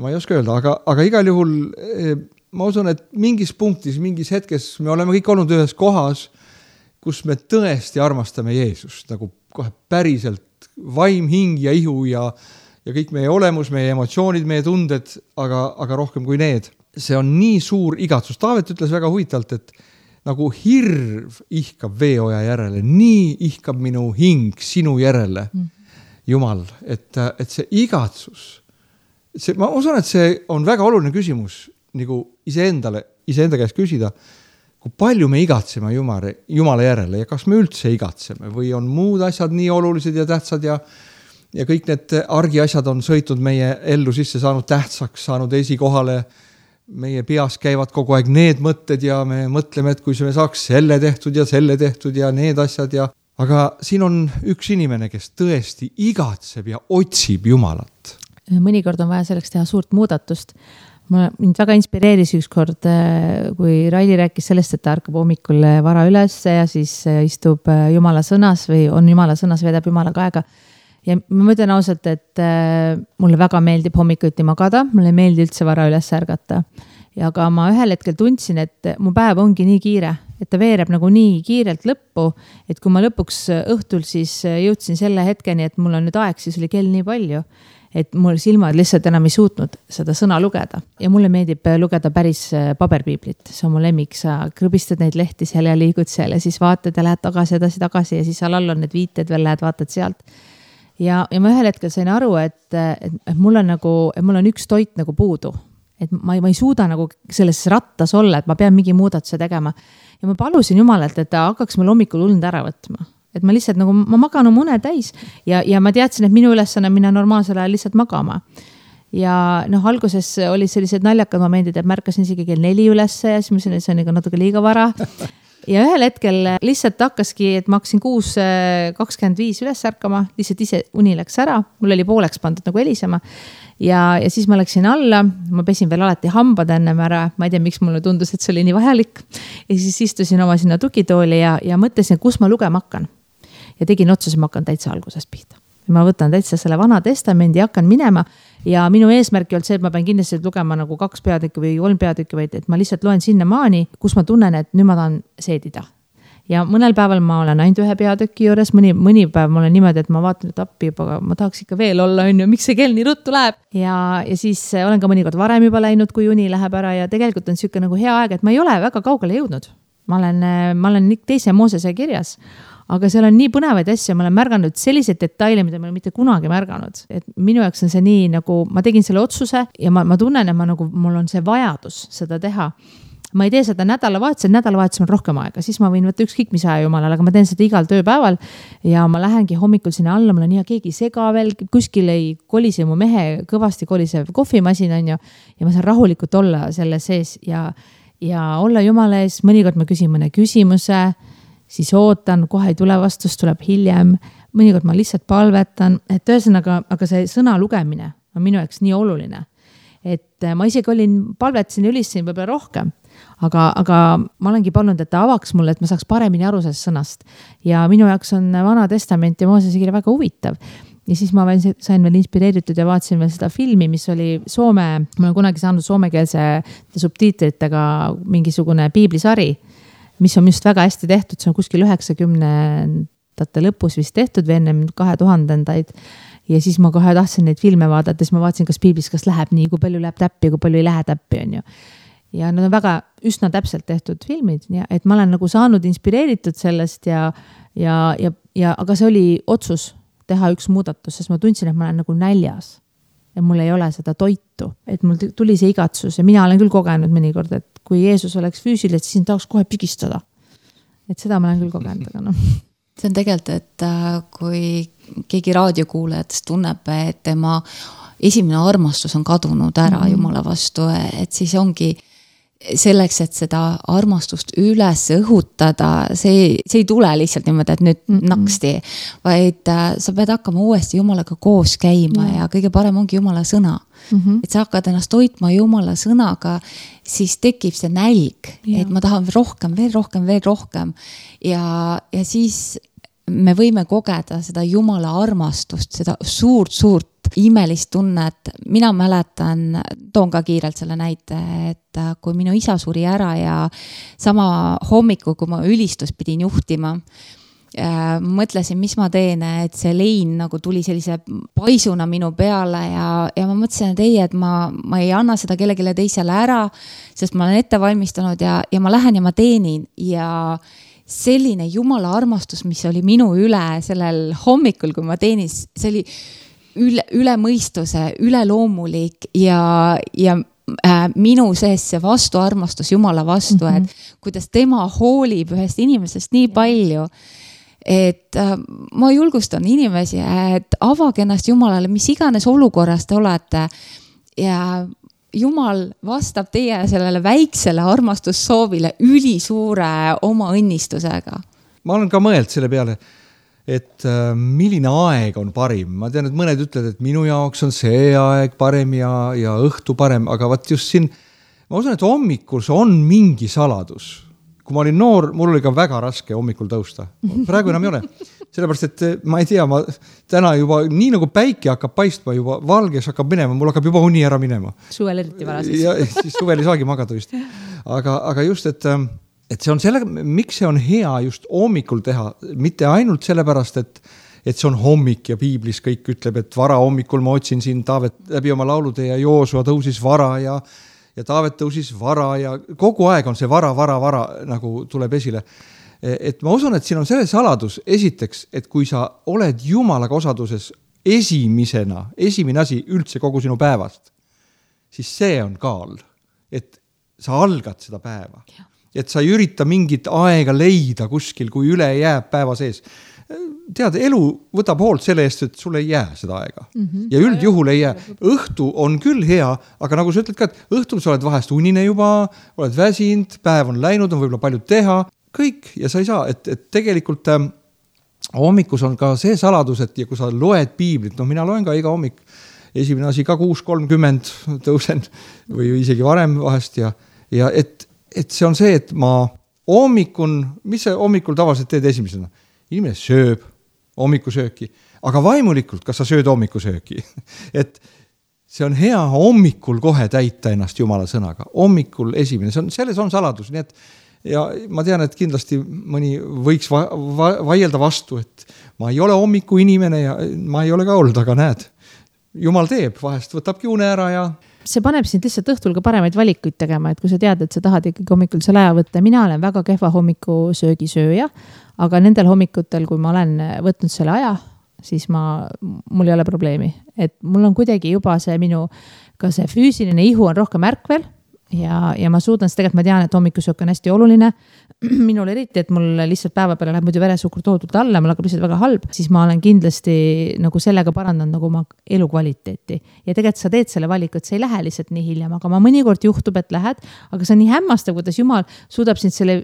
Ma ei oska öelda, aga igal juhul ma usun, et mingis punktis, mingis hetkes me oleme kõik olnud ühes kohas, kus me tõesti armastame Jeesust, nagu kohe päriselt vaim, hing ja ihu ja kõik meie olemus, meie emotsioonid, meie tunded, aga rohkem kui need. See on nii suur igatsus. Taavet ütles väga huvitavalt, et nagu hirv ihkab veeoja järele, nii ihkab minu hing sinu järele, Jumal, et see igatsus, ma usun, et see on väga oluline küsimus nagu iseenda käest küsida, kui palju me igatseme Jumala järele ja kas me üldse igatseme või on muud asjad nii olulised ja tähtsad ja kõik need argiasjad on sõitnud meie ellu sisse, saanud tähtsaks, saanud esikohale. Meie peas käivad kogu aeg need mõtted ja me mõtleme, et kui me saaks selle tehtud ja need asjad ja... Aga siin on üks inimene, kes tõesti igatseb ja otsib Jumalat. Mõnikord on vaja selleks teha suurt muudatust. Mind väga inspireeris ükskord, kui Raili rääkis sellest, et ta ärkab hommikul vara üles ja siis istub Jumala sõnas või on Jumala sõnas, vedab Jumalaga aega. Ja ma mõtlen ausalt, et mulle väga meeldib hommikuti magada, mulle meeldi üldse vara üles ärgata. Ja aga ma ühel hetkel tundsin, et mu päev ongi nii kiire, et ta veereb nagu nii kiirelt lõppu, et kui ma lõpuks õhtul siis jõudsin selle hetkeni, et mul on nüüd aeg, siis oli kell nii palju, et mul silmad lihtsalt enam ei suutnud seda sõna lugeda. Ja mulle meeldib lugeda päris paberpiiblit, see on mu lemmik, sa krõbistad neid lehti seal ja liigud seal ja siis vaatad ja lähed tagasi ja siis seal all on need viited veel, lähed vaatad sealt. Ja ma ühel hetkel sain aru, et mul on üks toit nagu puudu. Et ma ei suuda nagu selles rattas olla, et ma pean mingi muudatuse tegema. Ja ma palusin Jumalalt, et ta hakkaks mul hommikul und ära võtma. Et ma lihtsalt nagu, ma magan une täis ja ma teadsin, et minu ülesanne minna normaalsel ajal lihtsalt magama. Ja alguses oli sellised naljakad momendid, et märkasin isegi kell 4 ülesse ja siis ma see on natuke liiga vara. Ja ühel hetkel lihtsalt hakkaski, et ma hakkasin 6:25 üles ärkama, lihtsalt ise uni läks ära, mul oli pooleks pandud nagu helisema ja siis ma läksin alla, ma pesin veel alati hambad ennem ära, ma ei tea, miks mulle tundus, et see oli nii vajalik ja siis istusin oma sinna tugitooli ja mõtlesin, kus ma lugema hakkan ja tegin otsuse, ma hakkan täitsa algusest pihta. Ma võtan täitsa selle Vana Testamendi ja hakkan minema ja minu eesmärk ei olnud see, et ma pean kindlasti lugema nagu 2 peatükki või 3 peatükki, vaid et ma lihtsalt loen sinna maani, kus ma tunnen, et nüüd ma tahan seedida. Ja mõnel päeval ma olen ainult 1 peatüki juures, mõni päev ma olen niimoodi, et ma vaatan, et appi, aga ma tahaks ikka veel olla, miks see kell nii ruttu läheb. Ja siis olen ka mõnikord varem juba läinud, kui uni läheb ära ja tegelikult on siuke nagu hea aeg, et ma ei ole väga kaugele jõudnud. Ma olen 2. Moosese kirjas. Aga seal on nii põnevaid asju, ma olen märganud selliseid detaile, mida ma olen mitte kunagi märganud. Et minu jaoks on see nii, nagu ma tegin selle otsuse ja ma tunnen, et mul on see vajadus seda teha. Ma ei tee seda nädalavahetusel on rohkem aega, siis ma võin võtta ükskõik mis aja Jumalale, aga ma teen seda igal tööpäeval ja ma lähengi hommikul sinna alla, mul on nii keegi sega veel, kuskil ei kolise mu mehe kõvasti kolisev kohvimasin on ju, ja ma saan rahulikult olla selle sees ja olla Jumala ees, mõnikord ma küsin mõne küsimuse, siis ootan, kohe ei tule vastus, tuleb hiljem, mõnikord ma lihtsalt palvetan, et ühesõnaga, aga see sõna lugemine on minu jaoks nii oluline, et ma isegi palvetasin ja ülistasin võib-olla rohkem, aga ma olengi palunud, et ta avaks mulle, et ma saaks paremini aru sellest sõnast ja minu jaoks on Vana Testament ja Moosese kiri väga huvitav ja siis ma sain veel inspireeritud ja vaatasin veel seda filmi, mis oli Soome, ma olen kunagi saanud soomekeelse subtiitritega mingisugune piiblisari, mis on just väga hästi tehtud, see on kuskil 90ndate lõpus vist tehtud või ennem 2000-ndaid. Ja siis ma kohe tahtsin neid filme vaadata, siis ma vaatasin, kas piiblis, kas läheb nii, kui palju läheb täppi, kui palju ei lähe täppi, on ju. Ja nad on väga üsna täpselt tehtud filmid, et ma olen nagu saanud inspireeritud sellest aga see oli otsus teha üks muudatus, sest ma tundsin, et ma olen nagu näljas ja mul ei ole seda toitu, et mul tuli see igatsus ja mina olen küll kogenud mõnikord, et kui Jeesus oleks füüsiline, siis tahaks kohe pigistada. Et seda ma olen küll kogenud, aga noh. See on tegelikult, et kui keegi raadiokuulajatest tunneb, et tema esimene armastus on kadunud ära Jumala vastu, et siis ongi selleks, et seda armastust üles õhutada, see ei tule lihtsalt niimoodi, et nüüd naksti, vaid sa pead hakkama uuesti Jumalaga koos käima ja kõige parem ongi Jumala sõna. Et sa hakkad ennast toitma Jumala sõnaga, siis tekib see nälg, et ma tahan rohkem, veel rohkem ja siis me võime kogeda seda Jumala armastust, seda suurt imelist tunnet. Mina mäletan, toon ka kiirelt selle näite, et kui minu isa suri ära ja sama hommiku, kui ma ülistust pidin juhtima, mõtlesin, mis ma teen, et see lein nagu tuli sellise paisuna minu peale ja ma mõtlesin, et ei, et ma ei anna seda kellegile teisele ära, sest ma olen ette valmistanud ja ma lähen ja ma teenin ja selline Jumala armastus, mis oli minu üle sellel hommikul, kui ma teenin, see oli üle mõistuse, üle loomulik ja minu sees see vastuarmastus Jumala vastu, et kuidas tema hoolib ühest inimesest nii palju, et ma julgustan inimesi, et avage ennast Jumalale, mis iganes olukorras te olete ja Jumal vastab teie sellele väiksele armastussoovile ülisuure oma õnnistusega. Ma olen ka mõeld selle peale, et milline aeg on parim. Ma tean, et mõned ütlevad, et minu jaoks on see aeg parem ja õhtu parem, aga vaat just siin, ma usun, et hommikul on mingi saladus. Kui ma olin noor, mul oli ka väga raske hommikul tõusta. Praegu enam ei ole. Sellepärast, et ma ei tea, ma täna juba, nii nagu päike hakkab paistma juba, valges hakkab minema, mul hakkab juba uni ära minema. Suvel eriti varases. Ja siis suvel ei saagi magada vist. Aga just, et see on selle, miks see on hea just hommikul teha, mitte ainult sellepärast, et see on hommik ja piiblis kõik ütleb, et vara hommikul ma otsin siin Taavet läbi oma laulude ja Joosua tõusis vara ja Taavet tõusis vara ja kogu aeg on see vara nagu tuleb esile. Et ma usun, et siin on selle saladus esiteks, et kui sa oled Jumalaga osaduses esimene asi üldse kogu sinu päevast, siis see on kaal, et sa algad seda päeva. Et sa ei ürita mingit aega leida kuskil, kui üle jääb päeva sees. Tead, elu võtab hoolt selle eest, et sul ei jää seda aega. Ja üldjuhul ei jää. Õhtu on küll hea, aga nagu sa ütled ka, et õhtul sa oled vahest unine juba, oled väsinud, päev on läinud, on võib-olla palju teha, kõik ja sa ei saa, et tegelikult hommikus on ka see saladus, et ja kui sa loed piiblit, mina loen ka iga hommik, esimene asi ka 6:30 tõusen või isegi varem vahest ja et see on see, et ma mis sa hommikul tavaliselt teed esimesena? Inimene sööb hommikusööki, aga vaimulikult, kas sa sööd hommikusööki? Et see on hea hommikul kohe täita ennast Jumala sõnaga. Hommikul esimene, selles on saladus, nii et ja ma tean, et kindlasti mõni võiks vaielda vastu, et ma ei ole hommiku inimene ja ma ei ole ka olnud, aga näed, Jumal teeb, vahest võtab kiune ära ja see paneb sind lihtsalt õhtul ka paremaid valikuid tegema, et kui sa tead, et sa tahad ikkagi hommikul selle aja võtta. Mina olen väga kehva hommikusöögisööja, aga nendel hommikutel, kui ma olen võtnud selle aja, siis mul ei ole probleemi. Et mul on kuidagi juba see ka see füüsiline ihu on rohkem ärkvel ja ma suudan seda tegelikult, ma tean, et hommikusöök on hästi oluline. Minul eriti, et mul lihtsalt päeva peale läheb muidu veresuhkur toodult alla, mul hakkab lihtsalt väga halb, siis ma olen kindlasti nagu sellega parandanud nagu oma elukvaliteeti. Ja tegelikult sa teed selle valiku, et sa ei lähe lihtsalt nii hiljem, aga ma mõnikord juhtub, et lähed, aga see on nii hämmastav, kuidas Jumal suudab sind selle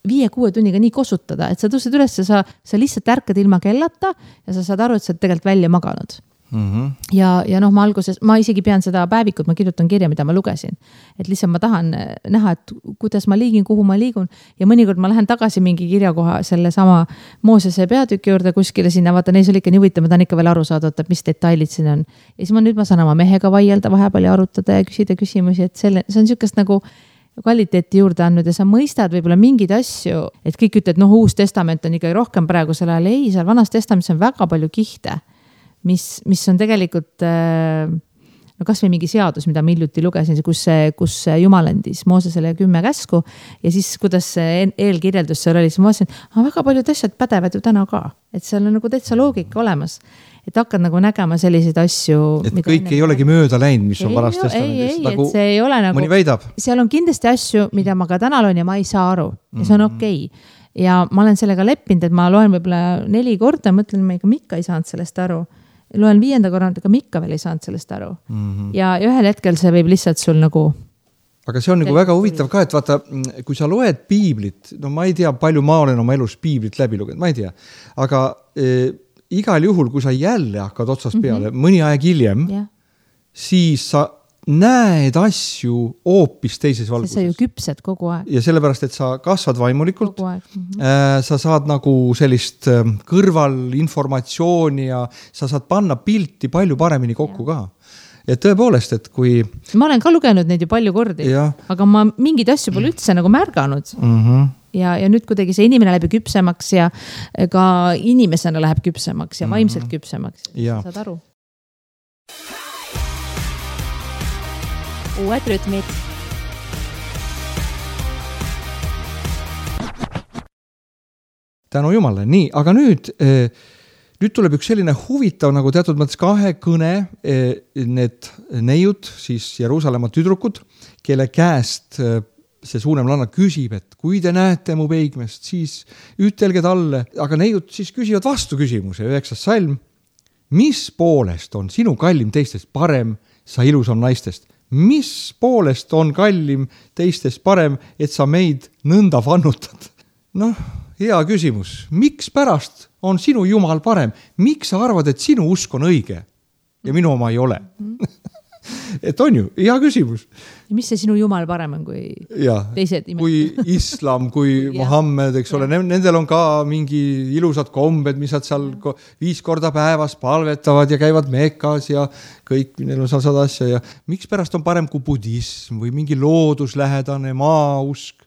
5-6 tunniga nii kosutada, et sa tõused üles ja sa lihtsalt ärkad ilma kellata ja sa saad aru, et sa oled tegelikult välja maganud. ja noh, ma alguses, ma isegi pean seda päevikut, ma kirjutan kirja, mida ma lugesin. Et lihtsalt ma tahan näha, et kuidas ma liigin, kuhu ma liigun ja mõnikord ma lähen tagasi mingi kirjakoha selle sama Moosese peatüki juurde kuskile sinna, vaata, neis oli ikka nii huvitav, ma tahan ikka veel aru saada, et mis detailid siin on. Ja siis nüüd ma saan oma mehega vaielda vahepeal ja arutada ja küsida küsimusi, et see on niisugust nagu kvaliteeti juurde andnud ja sa mõistad võib-olla mingeid asju, et kõik ütled, noh, Uus Testament on ikkagi rohkem praegu selle ajal. Ei, seal Vanas Testamendis on väga palju kihte, mis on tegelikult no kas või mingi seadus, mida ma hiljuti lugesin, kus Jumal andis Moosesele 10 käsku ja siis kuidas eelkirjeldus seal oli, siis ma vaatasin, väga paljud asjad pädevad ju täna ka, et seal on nagu täitsa loogika olemas, et hakkad nagu nägema selliseid asju. Et kõik ei olegi mööda läinud, mis on Vanas Testamendis. Ei, et see ei ole nagu, mõni väidab. Seal on kindlasti asju, mida ma ka täna loen ja ma ei saa aru ja see on okei. Ja ma olen sellega leppinud, et ma loen võib-olla 4 korda, mõtlen, ma ikka ei saanud sellest aru. Loen 5. korda, aga ikka veel ei saanud sellest aru. Ja ühel hetkel see võib lihtsalt sul nagu... Aga see on nagu väga huvitav ka, et vaata, kui sa loed piiblit, no ma ei tea, palju ma olen oma elus piiblit läbi lugenud, ma ei tea. Aga igal juhul, kui sa jälle hakkad otsast peale, mõni aeg hiljem, siis sa näed asju hoopis teises valguses. Sa ju küpsed kogu aeg. Ja sellepärast, et sa kasvad vaimulikult, sa saad nagu sellist kõrvalinformatsiooni ja sa saad panna pilti palju paremini kokku ka. Et tõepoolest, et kui... Ma olen ka lugenud neid ju palju kordi, aga ma mingid asju pole üldse nagu märganud. Ja nüüd kuidagi see inimene läheb küpsemaks ja ka inimesena läheb küpsemaks ja vaimselt küpsemaks. Saad aru? Uued rütmid. Tänu Jumale. Nii, aga nüüd tuleb üks selline huvitav nagu teatud mõttes kahekõne need neiud, siis Jeruusalemma tüdrukud, kelle käest see suuremlanna küsib, et kui te näete mu peigmest, siis ütelge talle, aga neiud siis küsivad vastu küsimuse, 9. salm. Mis poolest on sinu kallim teistest parem, sa ilusam naistest? Mis poolest on kallim teistest parem, et sa meid nõnda vannutad? Noh, hea küsimus. Miks pärast on sinu Jumal parem? Miks sa arvad, et sinu usk on õige ja minu oma ei ole? Et on ju, hea küsimus. Ja mis see sinu Jumal parem on kui teised imed? Kui islam, kui Mohammed, eks ole, nendel on ka mingi ilusad kombed, mis nad seal 5 korda päevas palvetavad ja käivad Mekas ja kõik, neil on seal 100 asja ja miks pärast on parem kui budism või mingi looduslähedane maausk?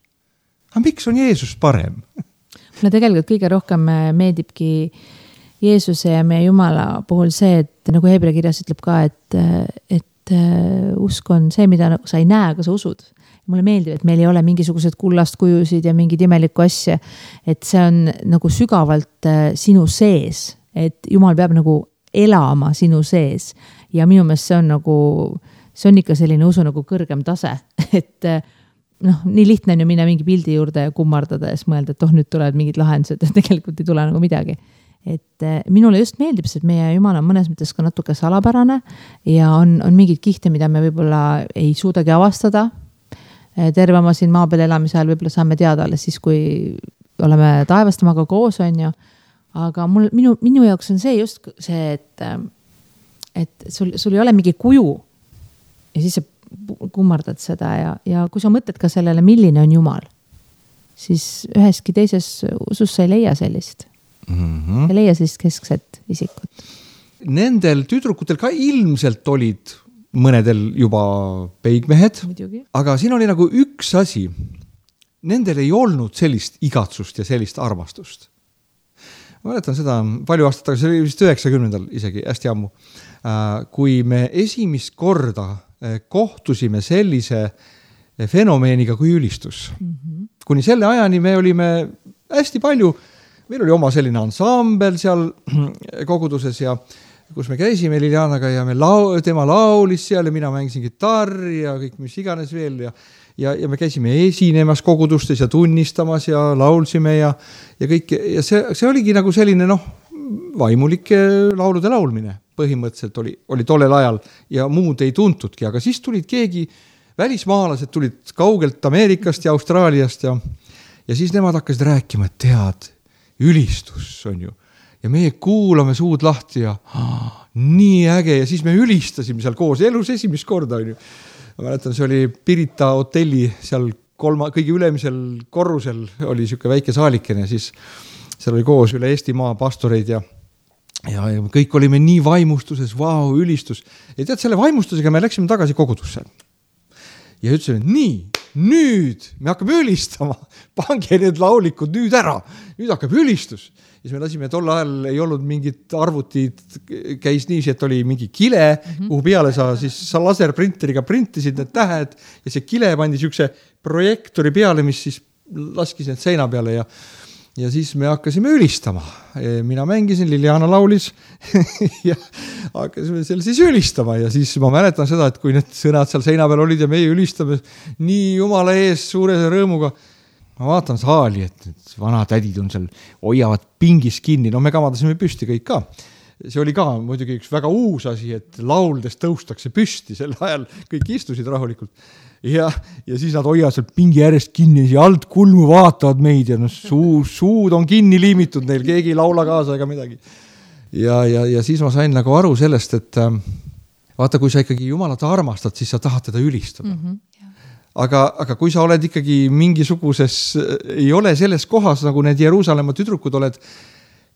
Aga miks on Jeesus parem? Mulle tegelikult kõige rohkem meeldibki Jeesuse ja meie Jumala puhul see, et nagu Hebra kirjas ütleb ka, et usk on see, mida sa ei näe, aga sa usud. Mulle meeldib, et meil ei ole mingisugused kullast kujusid ja mingid imelikku asja, et see on nagu sügavalt sinu sees, et Jumal peab nagu elama sinu sees ja minu meelest see on nagu, see on ikka selline usu nagu kõrgem tase, et noh, nii lihtne on ju minna mingi pildi juurde ja kummardada ja siis mõelda, et nüüd tulevad mingid lahendused ja tegelikult ei tule nagu midagi. Et minule just meeldib, et meie Jumal on mõnes mõttes ka natuke salapärane ja on mingid kihte, mida me võib-olla ei suudagi avastada. Terve oma siin maa peal elamise ajal võib-olla saame teada alles siis, kui oleme taevastamaga koos, on ju. Aga minu jaoks on see just see, et sul ei ole mingi kuju ja siis sa kummardad seda ja kui sa mõtled ka sellele, milline on Jumal, siis üheski teises usus sa ei leia sellist. Ja leia sellist keskset isikut. Nendel tüdrukutel ka ilmselt olid mõnedel juba peigmehed, aga siin oli nagu üks asi. Nendel ei olnud sellist igatsust ja sellist armastust. Ma mäletan seda palju aastat tagasi, see oli vist 90. isegi hästi ammu, kui me esimest korda kohtusime sellise fenomeeniga kui ülistus. Kuni selle ajani me olime hästi palju, meil oli oma selline ansambel seal koguduses ja kus me käisime Lilianaga ja tema laulis seal ja mina mängisin gitarri ja kõik mis iganes veel ja me käisime esinemas kogudustes ja tunnistamas ja laulsime ja kõik ja see oligi nagu selline vaimulike laulude laulmine põhimõtteliselt oli tollel ajal ja muud ei tuntudki, aga siis tulid keegi välismaalased tulid kaugelt Ameerikast ja Austraaliast ja siis nemad hakkasid rääkima, et tead, ülistus on ju. ja meie kuulame suud lahti ja nii äge ja siis me ülistasime seal koos elus esimest korda, on ju. Ma mäletan, see oli Pirita hotelli seal kõige ülemisel korrusel oli siuke väike saalikene ja siis seal oli koos üle Eestimaa pastoreid ja kõik olime nii vaimustuses, vau, ülistus. Ja tead, selle vaimustusega me läksime tagasi kogudusse. Ja ütlesime, nii, nüüd me hakkame ülistama, pange need laulikud nüüd ära, nüüd hakkab ülistus. Ja siis me lasime, tol ajal ei olnud mingit arvutid, käis niiviisi, et oli mingi kile, kuhu peale sa laserprinteriga printisid need tähed ja see kile pandi siukse projektori peale, mis siis laskis need seina peale ja siis me hakkasime ülistama. Mina mängisin, Liliana laulis ja hakkasime seal siis ülistama ja siis ma mäletan seda, et kui need sõnad seal seina peal olid ja meie ülistame nii Jumala ees suure rõõmuga, ma vaatan saali, et need vanatädid on seal, hoiavad pingis kinni, no me kamadasime püsti kõik ka. See oli ka muidugi üks väga uus asi, et lauldes tõustakse püsti, sel ajal kõik istusid rahulikult. Ja siis nad hoiavad seal pingi järjest kinni ja alt kulmu vaatavad meid ja no, suud on kinni liimitud neil, keegi ei laula kaasa ega midagi. Ja siis ma sain nagu aru sellest, et vaata, kui sa ikkagi Jumalat armastad, siis sa tahad teda ülistada. Aga kui sa oled ikkagi mingisuguses, ei ole selles kohas, nagu need Jeruusalemma tüdrukud oled,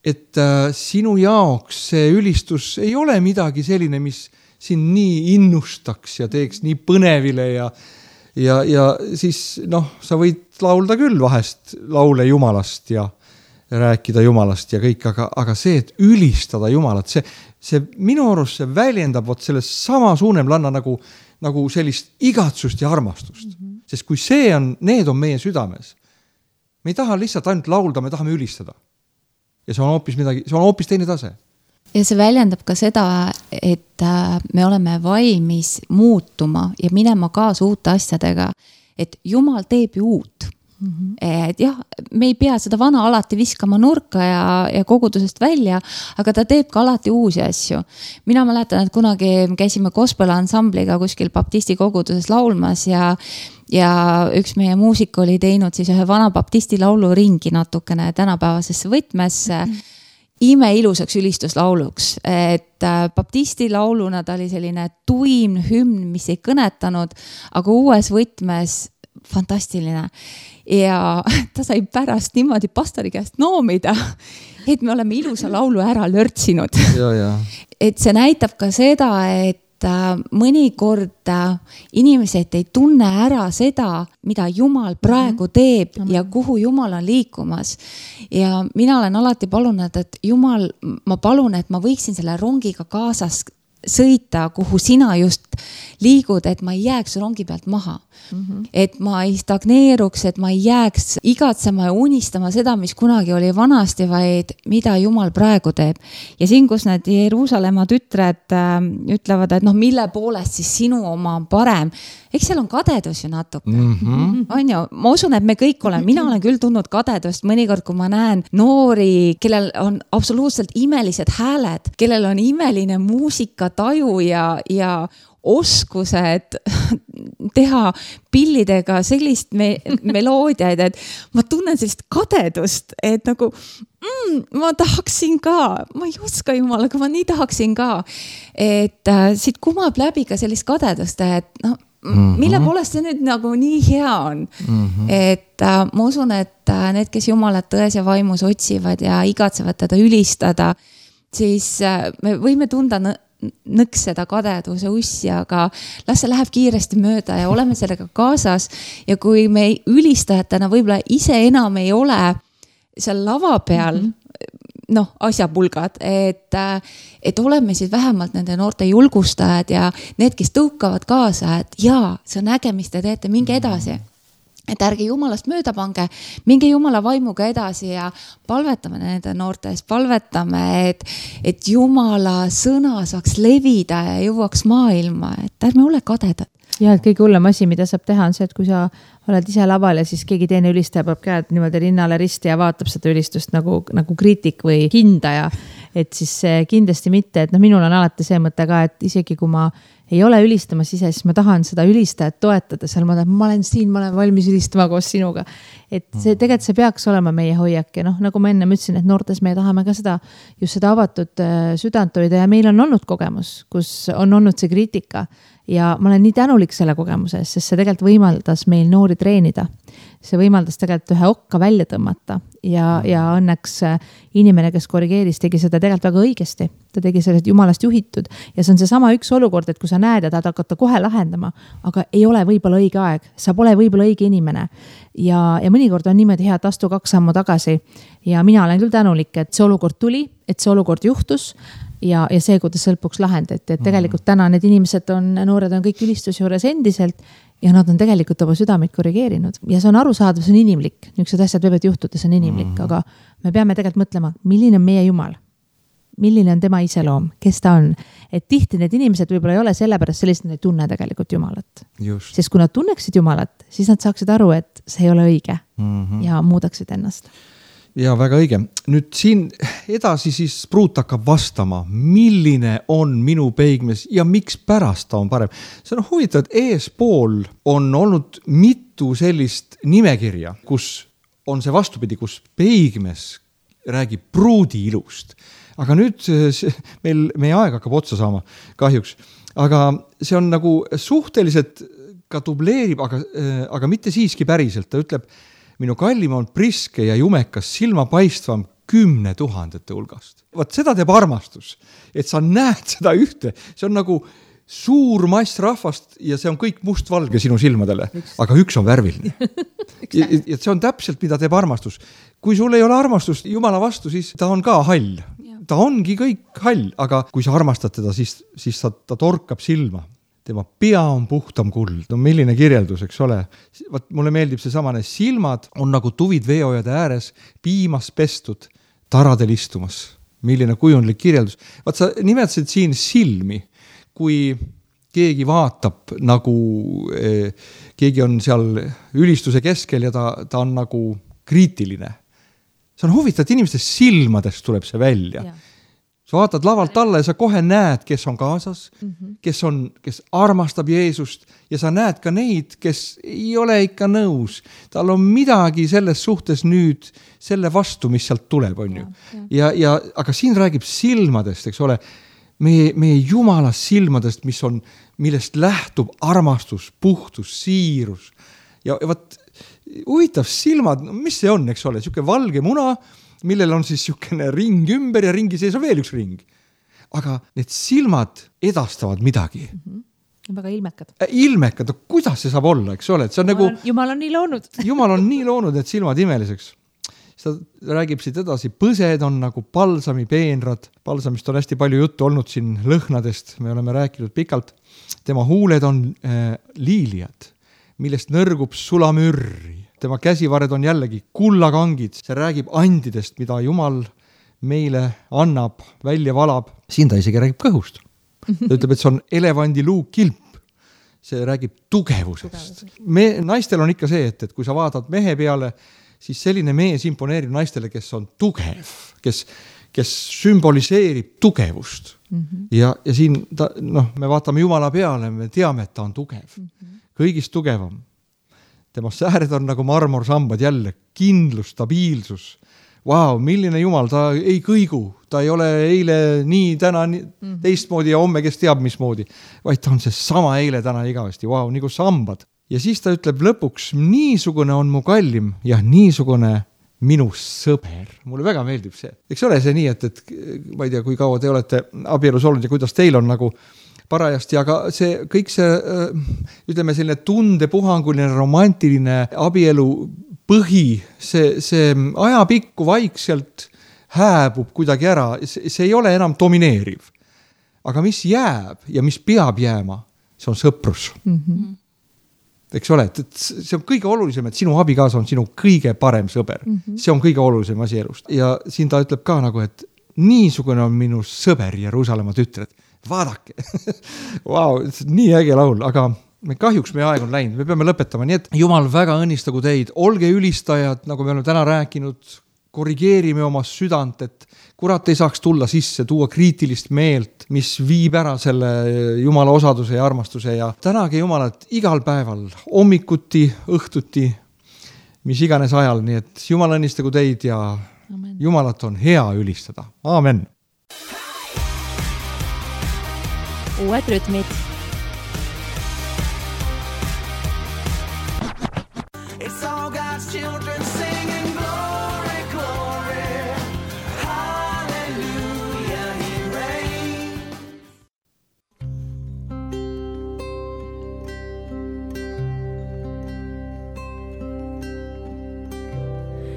et sinu jaoks see ülistus ei ole midagi selline, mis siin nii innustaks ja teeks nii põnevile ja siis sa võid laulda küll vahest laule Jumalast ja rääkida Jumalast ja kõik, aga see, et ülistada Jumalat, see minu arust see väljendab selles sama suunemlanna nagu sellist igatsust ja armastust. Sest kui need on meie südames, me ei taha lihtsalt ainult laulda, me tahame ülistada. Ja see on hoopis midagi, see on hoopis teine tase. Ja see väljendab ka seda, et me oleme valmis muutuma ja minema kaasa uute asjadega, et Jumal teeb ju uut. Et jah, me ei pea seda vana alati viskama nurka ja kogudusest välja, aga ta teeb ka alati uusi asju. Mina mäletan, et kunagi käisime gospel ansambliga kuskil baptisti koguduses laulmas ja üks meie muusik oli teinud siis ühe vana baptisti laulu ringi natukene tänapäevasesse võtmesse imeilusaks ülistuslauluks, et baptisti lauluna ta oli selline tuim hümn, mis ei kõnetanud, aga uues võtmes fantastiline ja ta sai pärast niimoodi pastori käest noomida, et me oleme ilusa laulu ära lörtsinud. Et see näitab ka seda, et mõnikord inimesed ei tunne ära seda, mida Jumal praegu teeb ja kuhu Jumal on liikumas. Ja mina olen alati palunud, et Jumal, ma palun, et ma võiksin selle rongiga kaasas sõita, kuhu sina just liigud, et ma ei jääks rongi pealt maha. Et ma ei stagneeruks, et ma ei jääks igatsema ja unistama seda, mis kunagi oli vanasti, vaid mida Jumal praegu teeb. Ja siin, kus need Jeruusalemma tütred ütlevad, et mille poolest siis sinu oma on parem, eks seal on kadedus ju natuke. On ju, ma usun, et me kõik oleme, mina olen küll tundnud kadedust mõnikord, kui ma näen noori, kellel on absoluutselt imelised hääled, kellel on imeline muusikataju ja oskused teha pillidega sellist meloodiaid, et ma tunnen sellist kadedust, et nagu ma tahaksin ka, ma ei oska Jumal, aga ma nii tahaksin ka, et siit kumab läbi ka sellist kadedust, et mille poolest see nüüd nagu nii hea on. Et ma usun, et need, kes Jumalat tões ja vaimus otsivad ja igatsevad teda ülistada, siis me võime tunda nõks seda kadeduse ussi, aga las see läheb kiiresti mööda ja oleme sellega kaasas. Ja kui me ülistajatena võib-olla ise enam ei ole seal lava peal, asjapulgad, et oleme siis vähemalt nende noorte julgustajad ja need, kes tõukavad kaasa, et jaa, see on äge, mis te teete, minge edasi. Et ärge Jumalast mööda pange, minge Jumala vaimuga edasi ja palvetame nende noortes, palvetame, et Jumala sõna saaks levida ja jõuaks maailma, et ärme ole kadedad. Ja, et kõige hullem asi, mida saab teha, on see, et kui sa oled ise laval ja siis keegi teine ülistaja peab käed niimoodi rinnale risti ja vaatab seda ülistust nagu kriitik või hindaja, et siis kindlasti mitte, et minul on alati see mõte ka, et isegi kui ma ei ole ülistamas ise, siis ma tahan seda ülistajat toetada, seal ma olen siin, ma olen valmis ülistama koos sinuga. Et see tegelikult see peaks olema meie hoiak ja nagu ma enne ütlesin, et noortes me tahame ka just seda avatud südant hoida ja meil on olnud kogemus, kus on olnud see kriitika ja ma olen nii tänulik selle kogemuse eest, sest see tegelikult võimaldas meil noori treenida. See võimaldas tegelikult ühe okka välja tõmmata ja õnneks inimene, kes korrigeeris, tegi seda tegelikult väga õigesti. Ta tegi sellest jumalast juhitud ja see on see sama üks olukord, et kui sa näed ja tahad hakata kohe lahendama, aga ei ole võib-olla õige aeg, sa pole võib-olla õige inimene. Ja mõnikord on niimoodi hea, et astu 2 sammu tagasi ja mina olen küll tänulik, et see olukord tuli, et see olukord juhtus ja see, kuidas lõpuks lahendati, et tegelikult täna need inimesed noored on kõik ülistus juures endiselt ja nad on tegelikult oma südameid korrigeerinud ja see on arusaadav, see on inimlik, niisugused asjad võivad juhtuda, see on inimlik, aga me peame tegelikult mõtlema, milline on meie Jumal, milline on tema iseloom, kes ta on, et tihti need inimesed võib-olla ei ole sellepärast sellist, nad ei tunne tegelikult Jumalat. Sest kui nad tunneksid Jumalat, siis nad saaksid aru, et see ei ole õige ja muudaksid ennast. Ja väga õige. Nüüd siin edasi siis Pruut hakkab vastama, milline on minu peigmees ja miks pärast ta on parem. See on huvitav, et eespool on olnud mitu sellist nimekirja, kus on see vastupidi, kus peigmees räägib Pruudi ilust. Aga nüüd meie aeg hakkab otsa saama kahjuks. Aga see on nagu suhteliselt ka dubleerib, aga mitte siiski päriselt. Ta ütleb, minu kallim on priske ja jumekas silmapaistvam 10 000 hulgast. Vaat seda teeb armastus, et sa näed seda ühte. See on nagu suur mass rahvast ja see on kõik mustvalge sinu silmadele, aga üks on värviline. Ja see on täpselt, mida teeb armastus. Kui sul ei ole armastust Jumala vastu, siis ta on ka hall. Ta ongi kõik hall, aga kui sa armastad teda, siis ta torkab silma. Tema pea on puhtam kuld. No milline kirjeldus, eks ole. Mulle meeldib see samane. Silmad on nagu tuvid veeojade ääres, piimas pestud, taradel istumas. Milline kujundlik kirjeldus. Vaat sa nimetasid siin silmi, kui keegi vaatab nagu keegi on seal ülistuse keskel ja ta on nagu kriitiline. See on huvitav, et inimeste silmadest tuleb see välja. Ja. Sa vaatad lavalt alla ja sa kohe näed, kes on kaasas, kes armastab Jeesust ja sa näed ka neid, kes ei ole ikka nõus. Tal on midagi selles suhtes nüüd selle vastu, mis sealt tuleb, on ju. Aga siin räägib silmadest, eks ole, meie Jumala silmadest, millest lähtub armastus, puhtus, siirus. Ja vaat huvitav silmad, mis see on, eks ole, siuke valge muna, millel on siis siukene ring ümber ja ringi sees on veel üks ring. Aga need silmad edastavad midagi. Väga ilmekad. Ilmekad, kuidas see saab olla, eks ole? See on Jumal on nii loonud. Jumal on nii loonud, et silmad imeliseks. Ta räägib siit edasi, põsed on nagu palsami peenrad. Palsamist on hästi palju juttu olnud siin lõhnadest, me oleme rääkinud pikalt. Tema huuled on liiliad, millest nõrgub sulamürri. Tema käsivared on jällegi kullakangid. See räägib andidest, mida Jumal meile annab, välja valab. Siin ta isegi räägib kõhust. Ta ütleb, et see on elevandi luukilp. See räägib tugevusest. Naistel on ikka see, et kui sa vaatad mehe peale, siis selline mees imponeerib naistele, kes on tugev, kes sümboliseerib tugevust. Ja siin me vaatame Jumala peale, me teame, et ta on tugev. Kõigist tugevam. Tema sääred on nagu marmorsambad jälle, kindlus, stabiilsus. Vau, milline Jumal, ta ei kõigu, ta ei ole eile nii, täna teistmoodi ja homme, kes teab mismoodi, vaid ta on see sama eile, täna igavesti, vau, nagu sambad. Ja siis ta ütleb lõpuks, niisugune on mu kallim ja niisugune minu sõber. Mulle väga meeldib see. Eks ole see nii, et ma ei tea, kui kaua te olete abielus olnud ja kuidas teil on nagu parajasti, aga kõik see, ütleme selline tundepuhanguline, romantiline abielu põhi, see ajapikku vaikselt hääbub kuidagi ära, see ei ole enam domineeriv. Aga mis jääb ja mis peab jääma, see on sõprus. Eks ole, et see on kõige olulisem, et sinu abikaasa on sinu kõige parem sõber. See on kõige olulisem asi elust. Ja siin ta ütleb ka nagu, et niisugune on minu sõber Jeruusalemma tütred. Vaadake. Vau, nii äge laul, aga kahjuks meie aeg on läinud, me peame lõpetama, nii et Jumal väga õnnistagu teid, olge ülistajad, nagu me oleme täna rääkinud, korrigeerime oma südant, et kurat ei saaks tulla sisse, tuua kriitilist meelt, mis viib ära selle Jumala osaduse ja armastuse ja tänage Jumalat igal päeval, hommikuti, õhtuti, mis iganes ajal, nii et Jumal õnnistagu teid ja Amen. Jumalat on hea ülistada. Aamen. Uued rütmid. It's all God's children singing glory, glory, hallelujah, he reigns.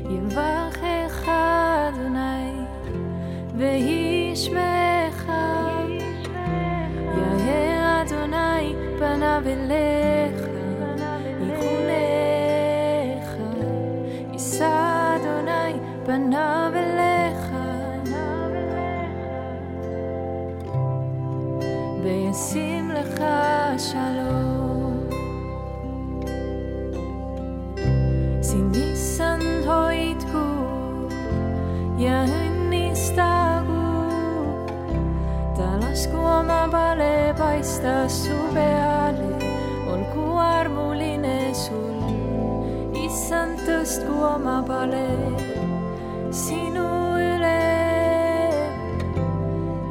יברכך אדוני וישמעך יאר אדוני פניו אליך יחונך יישא אדוני פניו אליך וישים לך שלום Sinisan hoidku ja õnnistagu, ta lasku oma pale paista su peale, olgu armuline sul, issand tõstku oma pale sinu üle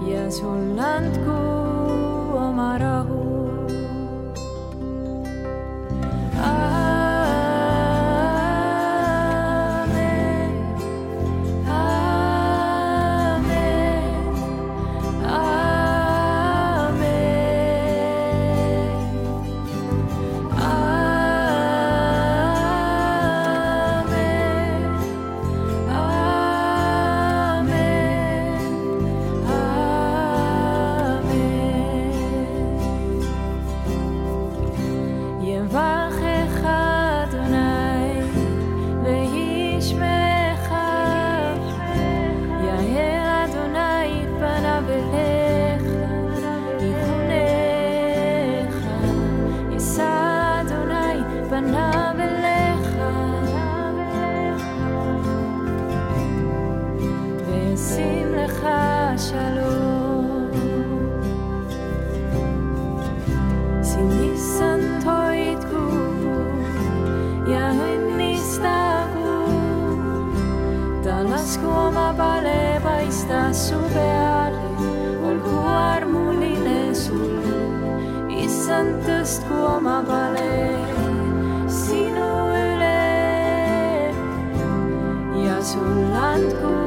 ja sul andku oma rahu. Lasku oma pale paista su peale, olgu armuline sul, issand tõstku oma pale sinu üle ja sul andku